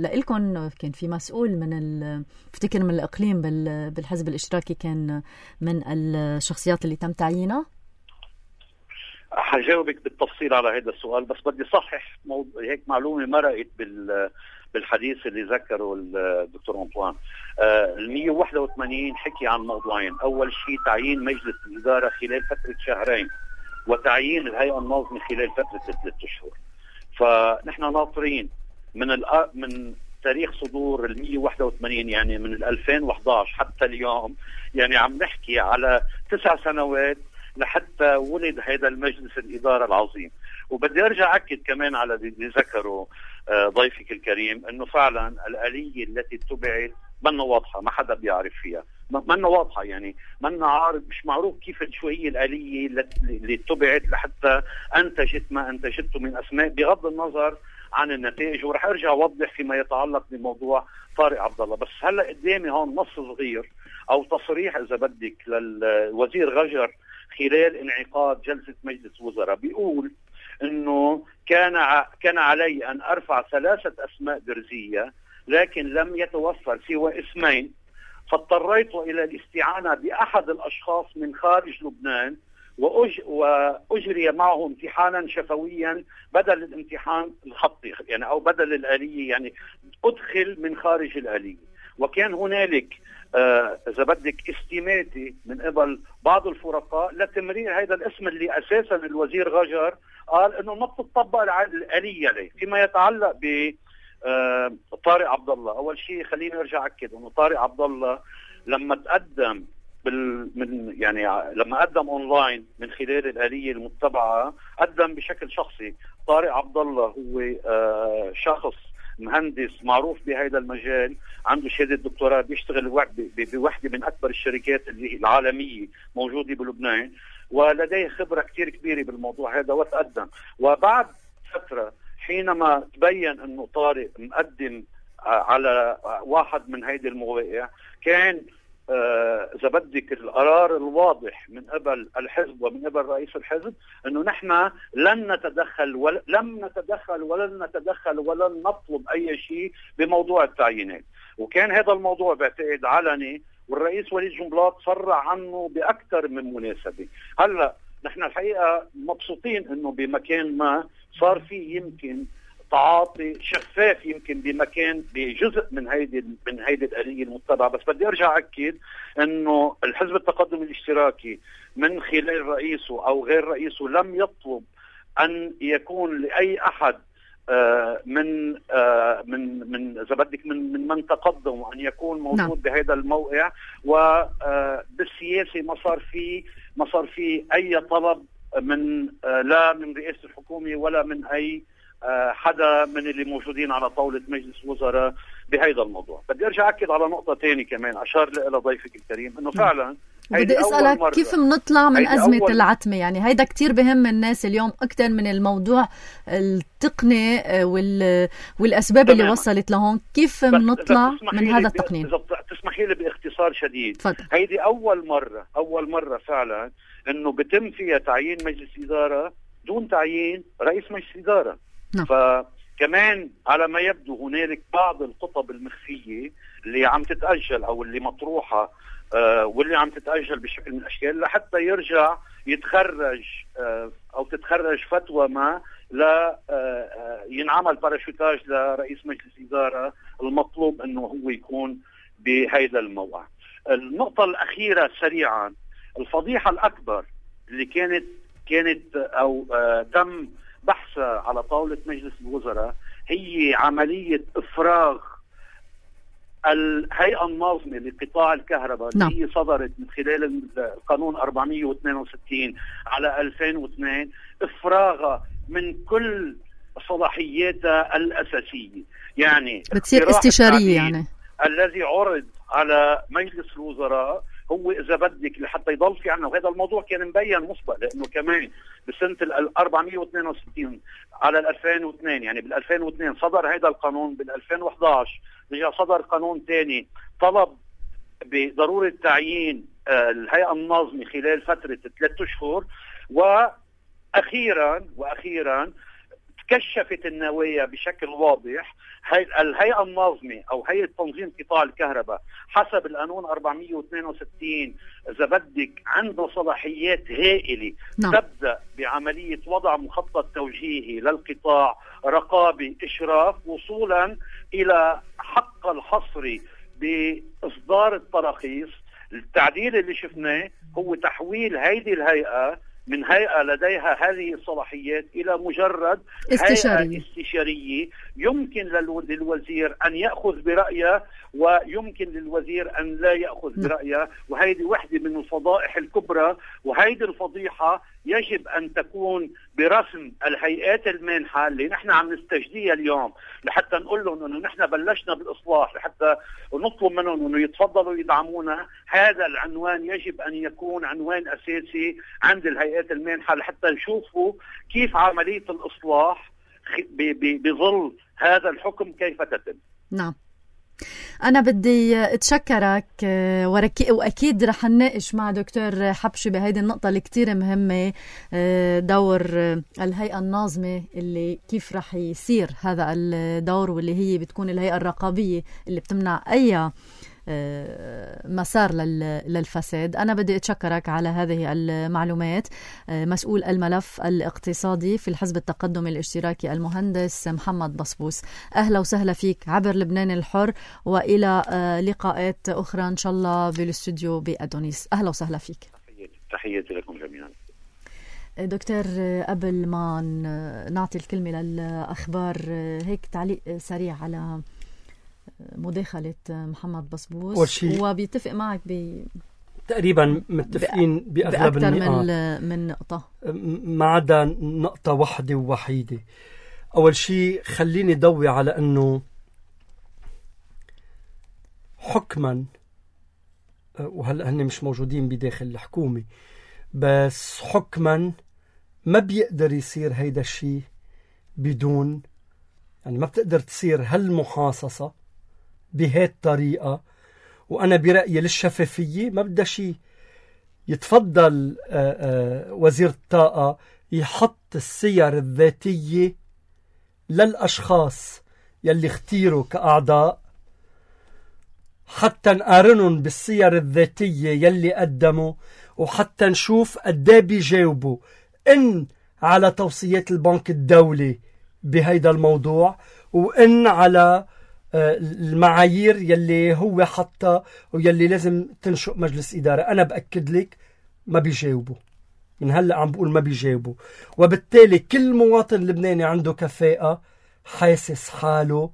لإلكن، كان في مسؤول من ال... افتكر من الإقليم بال... بالحزب الاشتراكي كان من الشخصيات اللي تم تعيينها. حجاوبك بالتفصيل على هذا السؤال، بس بدي صحح موضوع هيك معلومة مرقت بال بالحديث اللي ذكره الدكتور أنطوان. آه ال مئة وواحد وثمانين حكي عن موضوعين، أول شيء تعيين مجلس الإدارة خلال فترة شهرين، وتعيين الهيئة الناظمة خلال فترة ثلاثة أشهر. فنحن ناطرين من الأ... من تاريخ صدور ال مية وواحد وثمانين، يعني من ال ألفين وإحدى عشر حتى اليوم، يعني عم نحكي على تسع سنوات لحتى ولد هذا المجلس الإدارة العظيم. وبدي أرجع أكد كمان على اللي ذكره ضيفك الكريم، أنه فعلا الآلية التي اتبعت منا واضحة، ما حدا بيعرف فيها، منا واضحة، يعني منا عارف، مش معروف كيف شو هي الآلية اللي اتبعت لحتى أنتجت ما أنتجته من أسماء، بغض النظر عن النتائج. ورح أرجع أوضح فيما يتعلق بموضوع طارق عبد الله. بس هلا قدامي هون نص صغير أو تصريح إذا بدك للوزير غجر خلال انعقاد جلسة مجلس وزراء، بيقول انه كان ع... كان علي ان ارفع ثلاثة اسماء درزية لكن لم يتوفر سوى اسمين، فاضطريت الى الاستعانة باحد الاشخاص من خارج لبنان وأج... واجري معه امتحانا شفويا بدل الامتحان الخطي، يعني او بدل الآلية، يعني ادخل من خارج الآلية. وكان هنالك آه إذا بدك استماتة من قبل بعض الفرقاء لتمرير هذا الاسم اللي أساسا الوزير غجر قال إنه ما بتطبق الآلية عليه. فيما يتعلق ب آه طارق عبد الله، أول شيء خليني أرجع أكد إنه طارق عبد الله لما تقدم بال من يعني لما قدم أونلاين من خلال الآلية المتبعة قدم بشكل شخصي. طارق عبد الله هو آه شخص مهندس معروف بهذا المجال، عنده شهادة دكتوراه، بيشتغل بوحدة من أكبر الشركات اللي العالمية موجودة بلبنان، ولديه خبرة كتير كبيرة بالموضوع هذا وتقدم. وبعد فترة حينما تبين أنه طارق مقدم على واحد من هيدي المواقع، كان إذا آه بدك القرار الواضح من قبل الحزب ومن قبل رئيس الحزب أنه نحن لن نتدخل ول... لم نتدخل ولن نتدخل ولن نطلب أي شيء بموضوع التعيينات. وكان هذا الموضوع بعتقد علني، والرئيس وليد جنبلاط صرح عنه بأكثر من مناسبة. هلأ نحن الحقيقة مبسوطين أنه بمكان ما صار فيه يمكن تعاطي شفاف يمكن بمكان بجزء من هيدي من هيدي الآلية المتبعة. بس بدي ارجع اكد انه الحزب التقدم الاشتراكي من خلال رئيسه او غير رئيسه لم يطلب ان يكون لاي احد آه من آه من من اذا بدك من من من تقدم ان يكون موجود نعم. بهذا الموقع. وبالسياسه ما صار في ما صار في اي طلب من آه لا من رئاسة الحكومة ولا من اي حدا من اللي موجودين على طاولة مجلس وزراء بهذا الموضوع. بدي ارجع اكد على نقطة تانية كمان اشار لها ضيفك الكريم، انه فعلا بدي اسالك كيف بنطلع من ازمة العتمة؟ يعني هيدا كتير بهم الناس اليوم اكثر من الموضوع التقني وال... والاسباب تمام. اللي وصلت لهون. كيف بنطلع من هذا التقنين؟ اذا تسمحي لي باختصار شديد، فضل. هيدي اول مرة اول مرة فعلا انه بتم فيها تعيين مجلس ادارة دون تعيين رئيس مجلس ادارة. نعم. فكمان على ما يبدو هنالك بعض الخطب المخفية اللي عم تتأجل أو اللي مطروحة آه واللي عم تتأجل بشكل من الأشكال لحتى يرجع يتخرج آه أو تتخرج فتوى ما لا آه ينعمل باراشوتاج لرئيس مجلس إدارة المطلوب أنه هو يكون بهذا الموقع. النقطة الأخيرة سريعا، الفضيحة الأكبر اللي كانت كانت أو آه تم بحثها على طاولة مجلس الوزراء هي عملية إفراغ الهيئة الناظمة لقطاع الكهرباء نعم. اللي هي صدرت من خلال القانون أربعمية واثنين وستين على ألفين واثنين، إفراغها من كل صلاحياتها الأساسية. يعني بتصير استشارية، يعني الذي عرض على مجلس الوزراء هو إذا بدك لحتى يضل في عنا، وهذا الموضوع كان مبين مسبق لأنه كمان بسنة ال أربعمية واثنين وستين على ال ألفين واثنين، يعني بال ألفين واثنين صدر هذا القانون، بال ألفين وإحدى عشر رجع صدر قانون ثاني طلب بضرورة تعيين الهيئة الناظمة خلال فترة ثلاثة أشهر. وأخيرا وأخيرا كشفت النوايا بشكل واضح. الهيئة الناظمة أو هيئة تنظيم قطاع الكهرباء حسب القانون أربعمية واثنين وستين إذا بدك عنده صلاحيات هائلة نعم. تبدأ بعملية وضع مخطط توجيهي للقطاع، رقابي، إشراف، وصولا إلى حق الحصري بإصدار التراخيص. التعديل اللي شفناه هو تحويل هيدي الهيئة من هيئة لديها هذه الصلاحيات إلى مجرد استشارية. هيئة استشارية يمكن للوزير أن يأخذ برأيه ويمكن للوزير أن لا يأخذ برأيه. وهذه واحدة من الفضائح الكبرى، وهذه الفضيحة يجب أن تكون برسم الهيئات المانحة اللي نحن عم نستجديها اليوم، لحتى نقول لهم أنه نحن بلشنا بالإصلاح، لحتى نطلب منهم أنه يتفضلوا يدعمونا. هذا العنوان يجب أن يكون عنوان أساسي عند الهيئات المانحة، لحتى نشوفوا كيف عملية الإصلاح بظل هذا الحكم كيف تتم. نعم، أنا بدي أتشكرك وأكيد رح نناقش مع دكتور حبشي بهيدي النقطة اللي كتير مهمة، دور الهيئة الناظمة اللي كيف رح يصير هذا الدور، واللي هي بتكون الهيئة الرقابية اللي بتمنع أي مسار للفساد. أنا بدي أتشكرك على هذه المعلومات. مسؤول الملف الاقتصادي في الحزب التقدمي الاشتراكي المهندس محمد بصبوس، أهلا وسهلا فيك عبر لبنان الحر، وإلى لقاءات أخرى إن شاء الله بالاستوديو بأدونيس. أهلا وسهلا فيك. تحياتي لكم جميعا. دكتور، قبل ما نعطي الكلمة للأخبار، هيك تعليق سريع على مداخلة محمد بصبوس، وبيتفق معك ب تقريبا متفقين ب... بأغلب بأكثر النقاط من من نقطة، ما عدا نقطة واحدة ووحيدة. أول شيء خليني ضوي على أنه حكما، وهلأ هن مش موجودين بداخل الحكومة، بس حكما ما بيقدر يصير هيدا الشيء بدون، يعني ما بتقدر تصير هالمحاصصة بهذه الطريقة. وأنا برأيي للشفافية ما بدها شيء، يتفضل وزير الطاقة يحط السير الذاتية للأشخاص يلي اختيروا كأعضاء، حتى نقارنهم بالسير الذاتية يلي قدموا، وحتى نشوف قديه بيجاوبوا إن على توصيات البنك الدولي بهيدا الموضوع، وإن على المعايير يلي هو حتى ويلي لازم تنشئ مجلس إدارة. أنا بأكد لك ما بيجاوبوا، من هلأ عم بقول ما بيجاوبوا. وبالتالي كل مواطن لبناني عنده كفاءة حاسس حاله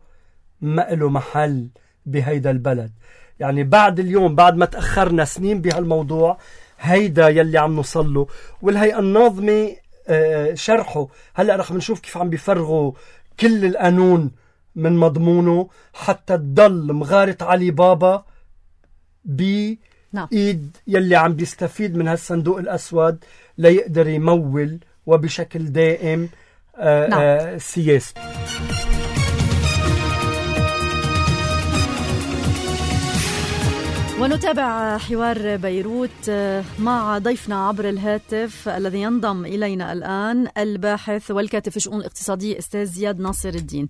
ما له محل بهيدا البلد. يعني بعد اليوم، بعد ما تأخرنا سنين بهالموضوع، هيدا يلي عم نوصله. والهيئة الناظمة شرحه هلأ رح نشوف كيف عم بيفرغوا كل القانون من مضمونه حتى تضل مغارة علي بابا بإيد يلي عم بيستفيد من هالصندوق الأسود ليقدر يمول وبشكل دائم آآ آآ سياسته. ونتابع حوار بيروت مع ضيفنا عبر الهاتف الذي ينضم إلينا الآن، الباحث والكاتب في الشؤون الاقتصادية أستاذ زياد ناصر الدين.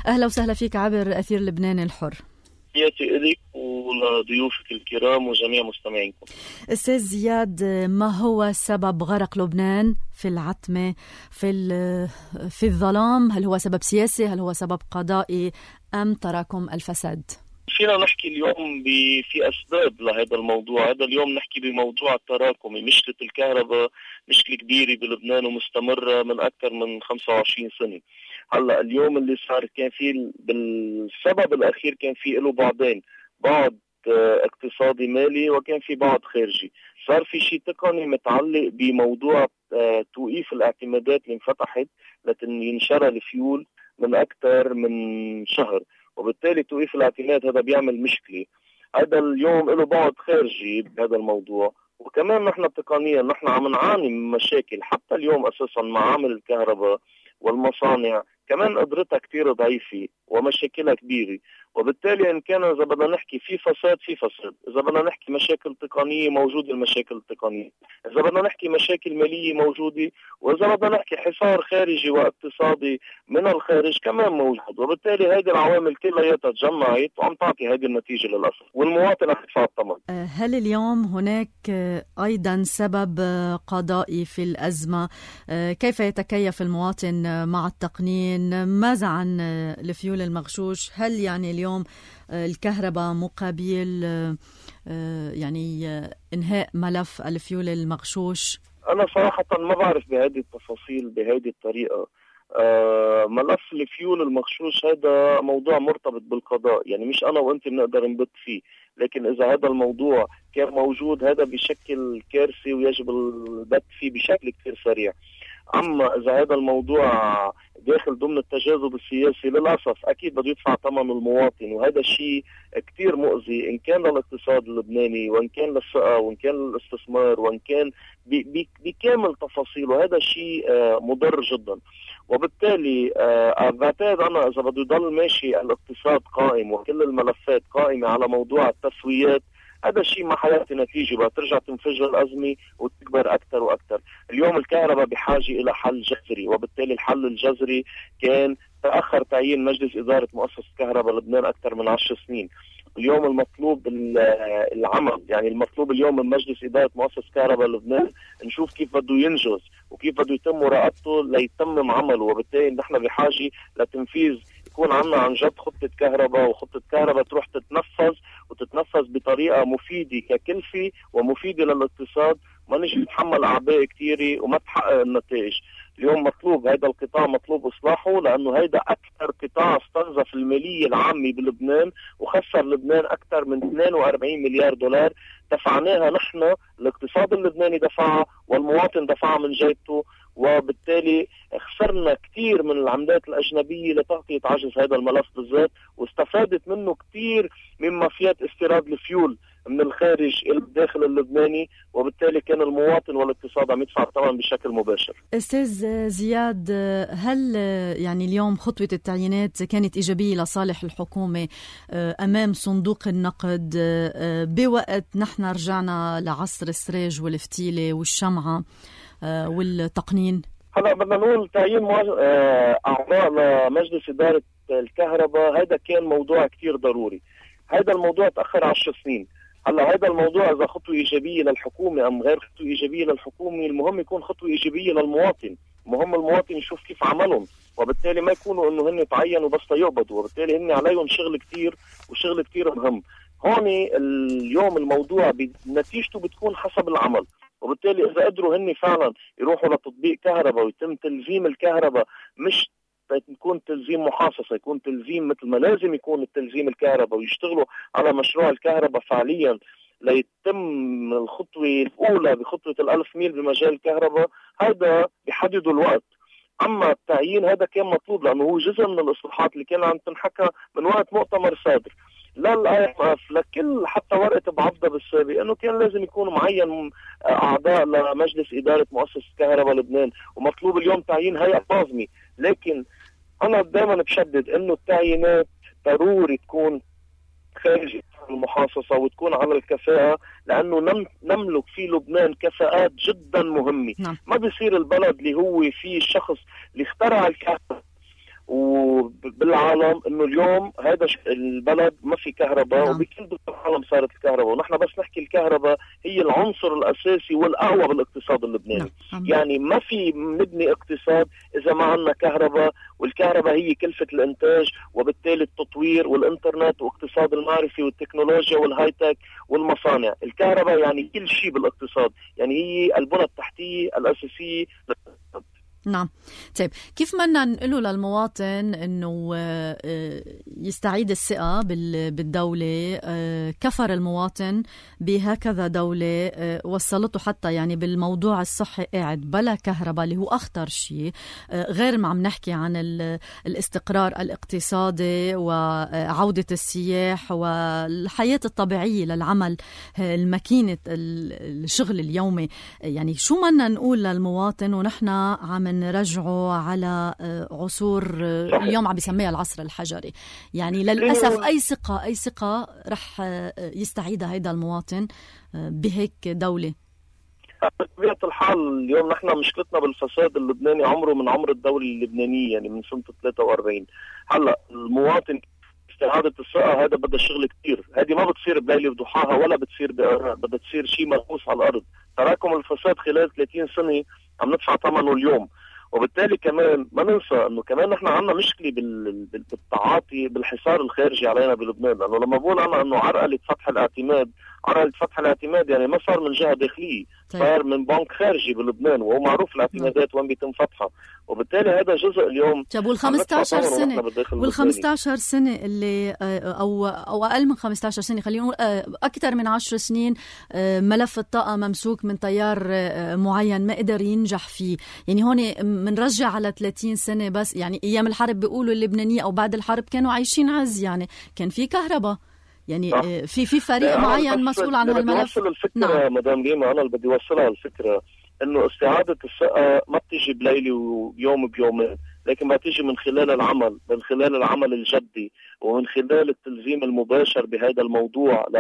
أهلا وسهلا فيك عبر أثير لبنان الحر. تحياتي إليك ولضيوفك الكرام وجميع مستمعينكم. أستاذ زياد، ما هو سبب غرق لبنان في العتمة، في في الظلام؟ هل هو سبب سياسي؟ هل هو سبب قضائي أم تراكم الفساد؟ فينا نحكي اليوم في أسباب لهذا الموضوع. هذا اليوم نحكي بموضوع التراكمي. مشكلة الكهرباء مشكلة كبيرة بلبنان ومستمرة من أكثر من خمسة وعشرين سنة. هلا اليوم اللي صار كان فيه بالسبب الأخير كان فيه له بعضين، بعض اقتصادي مالي وكان في بعض خارجي. صار في شيء تقني متعلق بموضوع توقيف الاعتمادات اللي انفتحت لكن ينشرى الفيول من أكثر من شهر، وبالتالي توقيف الاعتماد هذا بيعمل مشكلة. هذا اليوم له بعد خارجي بهذا الموضوع. وكمان نحن تقنيا نحن عم نعاني من مشاكل حتى اليوم أساسا معامل الكهرباء والمصانع كمان قدرتها كتير ضعيفة ومشاكلها كبيرة. وبالتالي إن كان إذا بدنا نحكي في فساد في فساد، إذا بدنا نحكي مشاكل تقنية موجودة المشاكل التقنية، إذا بدنا نحكي مشاكل مالية موجودة، وإذا بدنا نحكي حصار خارجي واقتصادي من الخارج كمان موجود. وبالتالي هذه العوامل كلها تجمعت وعم تعطي هذه النتيجة للأسف، والمواطن عم يدفع الثمن. هل اليوم هناك أيضا سبب قضائي في الأزمة؟ كيف يتكيف المواطن مع التقنين؟ ماذا عن الفيول المغشوش؟ هل يعني اليوم الكهرباء مقابل يعني إنهاء ملف الفيول المغشوش؟ انا صراحه ما بعرف بهذه التفاصيل بهذه الطريقه. آه ملف الفيول المغشوش هذا موضوع مرتبط بالقضاء، يعني مش انا وانت بنقدر نبت فيه، لكن اذا هذا الموضوع كان موجود هذا بشكل كارثي ويجب البت فيه بشكل كثير سريع. اما اذا هذا الموضوع داخل ضمن التجاذب السياسي للاسف اكيد بده يدفع ثمن المواطن، وهذا الشيء كثير مؤذي ان كان للاقتصاد اللبناني وان كان للثقه وان كان للاستثمار وان كان بكامل تفاصيله. هذا شيء مضر جدا، وبالتالي بعتقد انا اذا بده يضل ماشي الاقتصاد قائم وكل الملفات قائمه على موضوع التسويات، هذا الشيء ما حياتي نتيجة، بترجع تنفجر الأزمة وتكبر أكثر وأكثر. اليوم الكهرباء بحاجة إلى حل جذري، وبالتالي الحل الجذري كان تأخر تعيين مجلس إدارة مؤسسة كهرباء لبنان أكثر من عشر سنين. اليوم المطلوب العمل، يعني المطلوب اليوم من مجلس إدارة مؤسسة كهرباء لبنان نشوف كيف بده ينجز وكيف بده يتم مراقبته ليتمم عمله، وبالتالي نحن بحاجة لتنفيذ يكون عنا عن جد خطة كهرباء، وخطة كهرباء تروح تتنفذ وتتنفذ بطريقة مفيدة ككلفة ومفيدة للاقتصاد، ما نجي نتحمل أعباء كثيرة وما تحقق النتائج. اليوم مطلوب هذا القطاع مطلوب إصلاحه، لأنه هذا أكثر قطاع استنزف المالية العامة بلبنان وخسر لبنان أكثر من اثنين وأربعين مليار دولار دفعناها نحن، الاقتصاد اللبناني دفعها والمواطن دفعها من جيبته، وبالتالي خسرنا كثير من العملات الأجنبية لتغطية عجز هذا الملف بالذات، واستفادت منه كثير من مافيات استيراد الفيول من الخارج إلى الداخل اللبناني، وبالتالي كان المواطن والاقتصاد عم يدفع الثمن بشكل مباشر. أستاذ زياد، هل يعني اليوم خطوة التعيينات كانت إيجابية لصالح الحكومة أمام صندوق النقد بوقت نحن رجعنا لعصر السراج والفتيلة والشمعة والتقنين؟ هلا بدنا نقول تعيين أعضاء لمجلس إدارة الكهرباء هذا كان موضوع كتير ضروري. هذا الموضوع تأخر عشر سنين. هلا هذا الموضوع إذا خطوة إيجابية للحكومة أم غير خطوة إيجابية للحكومة، المهم يكون خطوة إيجابية للمواطن، مهم المواطن يشوف كيف عملهم، وبالتالي ما يكونوا إنه هن تعينوا بس يقبضوا، وبالتالي هن عليهم شغل كتير وشغل كتير مهم. هون اليوم الموضوع نتيجته بتكون حسب العمل، وبالتالي إذا قدروا هن فعلا يروحوا لتطبيق كهرباء ويتم تلزيم الكهرباء، مش يكون تلزيم محاصصة، يكون تلزيم مثل ما لازم يكون التلزيم الكهرباء، ويشتغلوا على مشروع الكهرباء فعليا ليتم الخطوة الأولى بخطوة الألف ميل بمجال الكهرباء، هذا بيحددوا الوقت. أما التعيين هذا كان مطلوب لأنه هو جزء من الإصلاحات اللي كان عم تنحكى من وقت مؤتمر صادر لا الاي ام اف لكل حتى ورقه بعضها بالسابق، انه كان لازم يكون معين اعضاء لمجلس اداره مؤسسه كهرباء لبنان، ومطلوب اليوم تعيين هيئه ناظمه. لكن انا دائما بشدد انه التعيينات ضروري تكون خارج المحاصصه وتكون على الكفاءه، لانه نم نملك في لبنان كفاءات جدا مهمه. نعم. ما بيصير البلد اللي هو فيه الشخص اللي اخترع الكهرباء وبالعالم انه اليوم هذا البلد ما في كهرباء. نعم. وبكل دول العالم صارت الكهرباء، ونحن بس نحكي الكهرباء هي العنصر الاساسي والاقوى بالاقتصاد اللبناني. نعم. يعني ما في نبني اقتصاد اذا ما عندنا كهرباء، والكهرباء هي كلفة الانتاج، وبالتالي التطوير والانترنت واقتصاد المعرفي والتكنولوجيا والهايتك والمصانع. الكهرباء يعني كل شيء بالاقتصاد، يعني هي البنى التحتية الاساسية للاقتصاد. نعم. طيب كيف بدنا نقوله للمواطن انه يستعيد الثقة بالدولة؟ كفر المواطن بهكذا دولة وصلته حتى يعني بالموضوع الصحي قاعد بلا كهرباء اللي هو اخطر شيء، غير ما عم نحكي عن الاستقرار الاقتصادي وعودة السياح والحياة الطبيعية للعمل الماكينة الشغل اليومي. يعني شو بدنا نقول للمواطن ونحن عم نرجعه على عصور اليوم عم بيسميها العصر الحجري؟ يعني للأسف أي ثقة أي ثقة رح يستعيدها هيدا المواطن بهيك دولة؟ بطبيعة الحال اليوم نحن مشكلتنا بالفساد اللبناني عمره من عمر الدولة اللبنانية، يعني من سنة ثلاثة وأربعين. هلا المواطن استعادة الثقة هذا بدها شغل كتير، هذه ما بتصير بليلة وضحاها ولا بتصير بدها تصير شيء ملموس على الأرض. تراكم الفساد خلال ثلاثين سنة عم ندفع ثمنه اليوم، وبالتالي كمان ما ننسى انه كمان نحن عندنا مشكله بالتعاطي بالحصار الخارجي علينا بلبنان. لانه لما بقول انا انه عرقله فتح الاعتماد على فتح الاعتماد، يعني ما صار من جهة داخلية، طيب. صار من بنك خارجي بلبنان، وهو معروف الاعتمادات وين بيتم فتحها، وبالتالي هذا جزء اليوم. طيب وال خمسطعش سنة وال خمسطعش سنة اللي أو أو أقل من خمسطعش سنة، خلينا نقول أكثر من عشر سنين ملف الطاقة ممسوك من تيار معين ما قدر ينجح فيه، يعني هون منرجع على ثلاثين سنة بس. يعني أيام الحرب بيقولوا اللبنانية أو بعد الحرب كانوا عايشين عز، يعني كان في كهرباء، يعني آه. في في فريق معين مسؤول عن هالملف. بدي الفكرة نعم. مدام ريما، أنا اللي بدي أوصلها الفكرة إنه استعادة الثقة ما بتيجي بليلة ويوم بيومين، لكن ما تيجي من خلال العمل، من خلال العمل الجدي، ومن خلال التلزيم المباشر بهذا الموضوع ل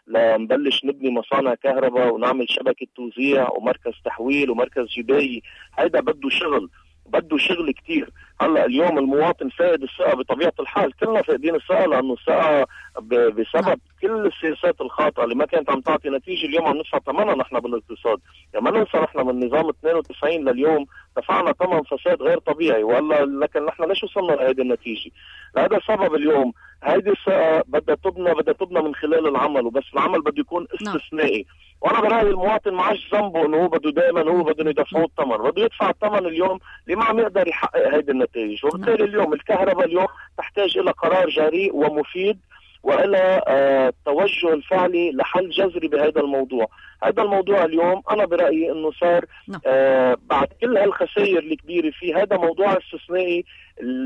لنبلش نبني مصانع كهرباء ونعمل شبكة توزيع ومركز تحويل ومركز جباية. هيدا بده شغل، بده شغل كتير. هلا اليوم المواطن فاقد الثقة بطبيعة الحال، كلنا فاقدين الثقة، لأنه الثقة بسبب كل السياسات الخاطئة اللي ما كانت عم تعطي نتيجة. اليوم عم ندفع ثمنها نحن بالاقتصاد، يعني ما ننسى نحن من نظام اثنين وتسعين لليوم دفعنا ثمن فساد غير طبيعي، ولا لكن نحن ليش وصلنا لهذه النتيجة؟ لهذا السبب اليوم هيدي الثقة بدها تبنى بدها تبنى من خلال العمل، وبس العمل بده يكون استثنائي. وانا برايي المواطن ما عادش ذنبه انه هو بده دائما هو بده يدفعوا الثمن، بده يدفع الثمن اليوم اللي ما عم يقدر يحقق هيدي النتائج. وبالتالي اليوم الكهرباء اليوم تحتاج الى قرار جريء ومفيد والى آه توجه الفعلي لحل جذري بهذا الموضوع. هذا الموضوع اليوم انا برايي انه صار آه بعد كل هالخسائر الكبيره فيه، هذا موضوع استثنائي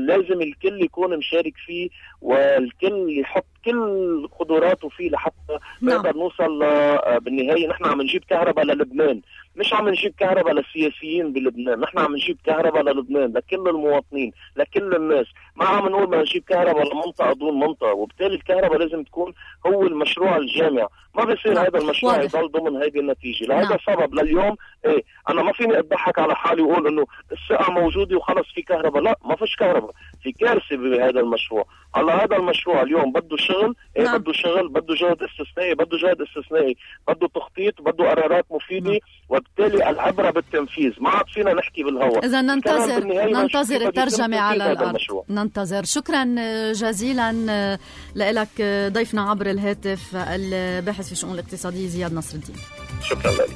لازم الكل يكون مشارك فيه، والكل يحط كل قدراته فيه لحتى نقدر نوصل آه بالنهايه. نحن عم نجيب كهرباء للبنان، مش عم نجيب كهرباء للسياسيين بلبنان، نحن عم نجيب كهرباء للبنان لكل المواطنين لكل الناس. ما عم نقول بدنا نجيب كهرباء لمنطقه دون منطقه، وبالتالي الكهرباء لازم تكون هو المشروع الجامع. ما بيصير هذا المشروع يضل ضمن هذه النتيجه. لهذا السبب لليوم ايه انا ما فيني اضحك على حالي واقول انه الثقه موجوده وخلص في كهرباء، لا ما فيش كهرباء، في كارثه بهذا المشروع. هلا هذا المشروع اليوم بده شغل، ايه نعم. بده شغل، بده جهد استثنائي، بده جهد استثنائي، بده تخطيط، بده قرارات مفيده نعم. وبالتالي العبره بالتنفيذ، ما عاد فينا نحكي بالهواء. اذا ننتظر ننتظر الترجمه على الارض. ننتظر. شكرا جزيلا لك ضيفنا عبر الهاتف الباحث في الشؤون الاقتصاديه زياد نصر الدين. شكرا لك.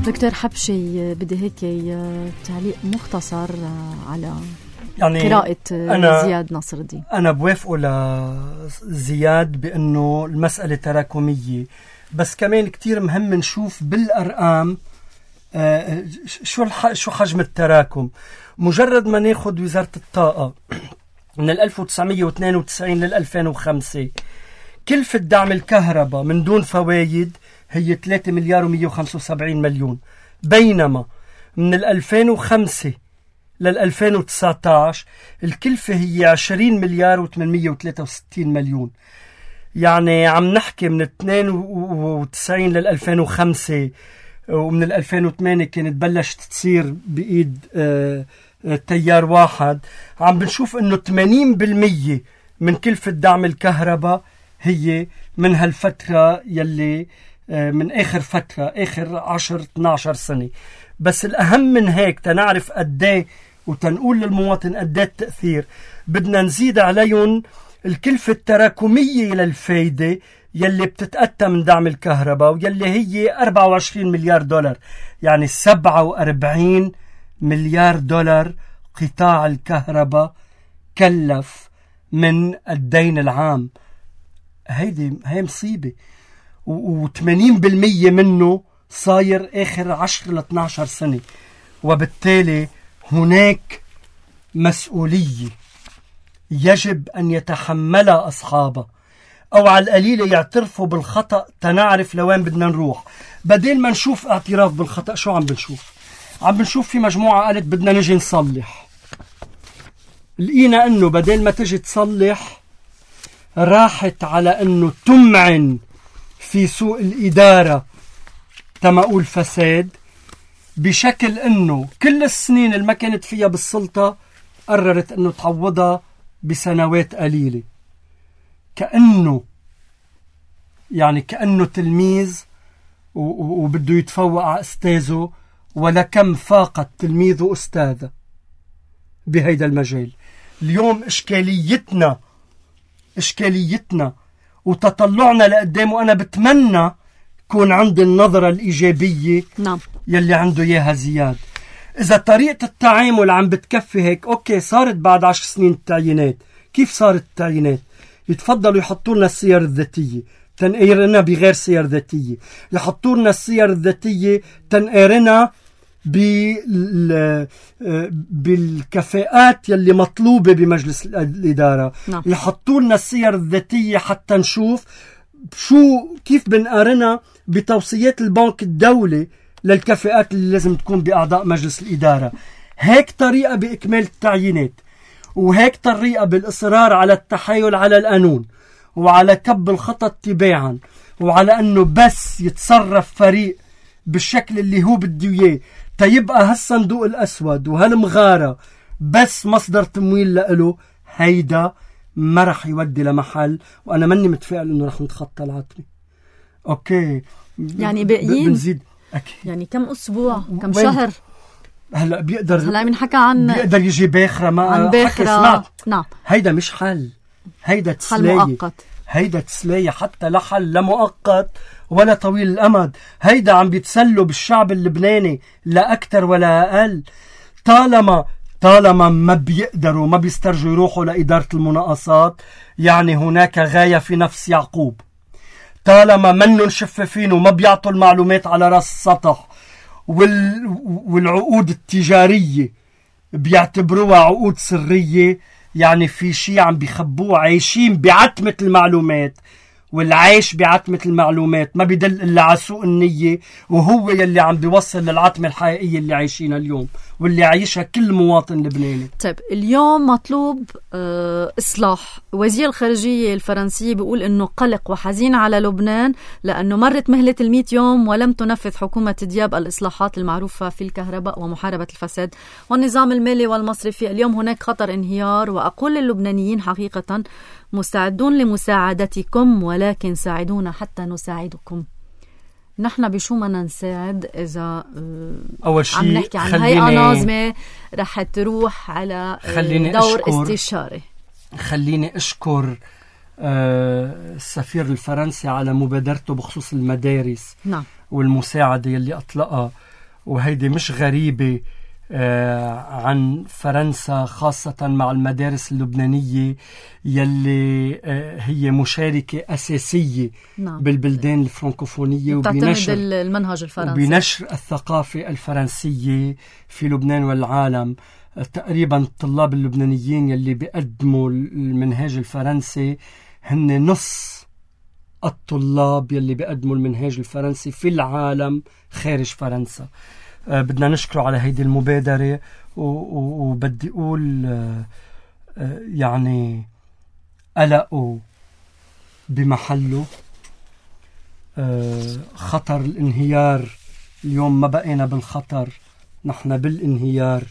دكتور حبشي، بدي هيك تعليق مختصر على يعني قراءة زياد نصر الدين. أنا بوافقه لزياد بأنه المسألة تراكمية، بس كمان كتير مهم نشوف بالأرقام آه شو شو حجم التراكم. مجرد ما ناخد وزارة الطاقة من ألف وتسعمية واثنين وتسعين لل ألفين وخمسة، كلفة دعم الكهرباء من دون فوايد هي ثلاثة مليار ومية وخمسة وسبعين مليون، بينما من ألفين وخمسة لل ألفين وتسعة عشر الكلفة هي عشرين مليار وثمانمية وثلاثة وستين مليون. يعني عم نحكي من اثنين وتسعين لل ألفين وخمسة، ومن ال ألفين وثمانية كانت بلشت تصير بإيد آه تيار واحد. عم بنشوف انه ثمانين بالمية من كلفة دعم الكهرباء هي من هالفترة يلي من آخر فترة آخر عشر اثناشر سنة. بس الأهم من هيك تنعرف قديه وتنقول للمواطن قديه التأثير، بدنا نزيد عليهم الكلفة التراكمية للفايدة يلي بتتأتى من دعم الكهرباء، ويلي هي أربعة وعشرين مليار دولار، يعني سبعة وأربعين مليار دولار قطاع الكهرباء كلف من الدين العام. هيدي هي مصيبة، وثمانين بالمية منه صاير آخر عشر لاثناشر سنة. وبالتالي هناك مسؤولية يجب أن يتحملها أصحابها، أو على القليلة يعترفوا بالخطأ تنعرف لوين بدنا نروح. بدل ما نشوف اعتراف بالخطأ، شو عم بنشوف؟ عم بنشوف في مجموعة قالت بدنا نجي نصلح. لقينا أنه بدل ما تجي تصلح راحت على أنه تمعن في سوء الإدارة تماؤول فساد، بشكل أنه كل السنين اللي ما كانت فيها بالسلطة قررت أنه تعوضها بسنوات قليلة، كأنه يعني كأنه تلميذ وبده يتفوق على أستاذه، ولكم فاقت تلميذه أستاذه بهيدا المجال. اليوم إشكاليتنا إشكاليتنا وتطلعنا لقدام، وأنا بتمنى يكون عندي النظرة الإيجابية نعم. يلي عنده إياها زياد. إذا طريقة التعامل عم بتكفي هيك، أوكي صارت بعد عشر سنين التعيينات. كيف صارت التعيينات؟ يتفضلوا يحطوا لنا السير الذاتية تنقيرنا بغير سير ذاتية، يحطوا لنا السير الذاتية تنقيرنا بالكفاءات يلي مطلوبة بمجلس الإدارة. نعم. يحطوا لنا السير الذاتية حتى نشوف شو كيف بنقارنها بتوصيات البنك الدولي للكفاءات اللي لازم تكون بأعضاء مجلس الإدارة. هيك طريقة بإكمال التعيينات، وهيك طريقة بالإصرار على التحايل على القانون وعلى كب الخطط تباعا، وعلى أنه بس يتصرف فريق بالشكل اللي هو بده إياه تيبقى هالصندوق الأسود وهالمغارة بس مصدر تمويل لإله. هيدا ما رح يودي لمحل، وأنا مني متفائل إنه رح نتخطى العتمة. أوكي يعني باقيين بنزيد أكيد. يعني كم أسبوع كم شهر هلا بيقدر هلا بنحكى عن بيقدر يجي باخرة ما عن باخرة. نعم. هيدا مش حل، هيدا تسلاية، حل مؤقت. هيدا تسلاية حتى لا حل لا مؤقت ولا طويل الأمد. هيدا عم بيتسلوا بالشعب اللبناني لا أكتر ولا أقل. طالما طالما ما بيقدروا ما بيسترجوا يروحوا لإدارة المناقصات، يعني هناك غاية في نفس يعقوب. طالما منن شفافين وما بيعطوا المعلومات على رأس السطح، وال... والعقود التجارية بيعتبروها عقود سرية، يعني في شيء عم بيخبوه. عايشين بعتمة المعلومات، والعيش بعتمة المعلومات ما بيدل إلا على سوء النية، وهو يلي عم بيوصل للعتمة الحقيقية اللي عايشينها اليوم واللي عايشها كل مواطن لبناني. طيب اليوم مطلوب آه إصلاح. وزير الخارجية الفرنسي بيقول إنه قلق وحزين على لبنان لأنه مرت مهلة المئة يوم ولم تنفذ حكومة دياب الإصلاحات المعروفة في الكهرباء ومحاربة الفساد والنظام المالي والمصرفي. اليوم هناك خطر انهيار، وأقول للبنانيين حقيقة مستعدون لمساعدتكم، ولكن ساعدونا حتى نساعدكم. نحن بشو بدنا نساعد إذا أول شيء عم نحكي عن هيئة ناظمة رح تروح على دور أشكر استشاري؟ خليني أشكر السفير الفرنسي على مبادرته بخصوص المدارس. نعم. والمساعدة يلي أطلقها، وهيدي مش غريبة عن فرنسا، خاصة مع المدارس اللبنانية يلي هي مشاركة أساسية. نعم. بالبلدان الفرنكوفونية، وبنشر المنهج الفرنسي وبنشر الثقافة الفرنسية في لبنان والعالم. تقريبا الطلاب اللبنانيين يلي بيقدموا المنهاج الفرنسي هن نص الطلاب يلي بيقدموا المنهاج الفرنسي في العالم خارج فرنسا. أه بدنا نشكره على هيدي المبادرة، وبدي أقول أه يعني قلقه بمحله. أه خطر الانهيار اليوم ما بقينا بالخطر، نحن بالانهيار،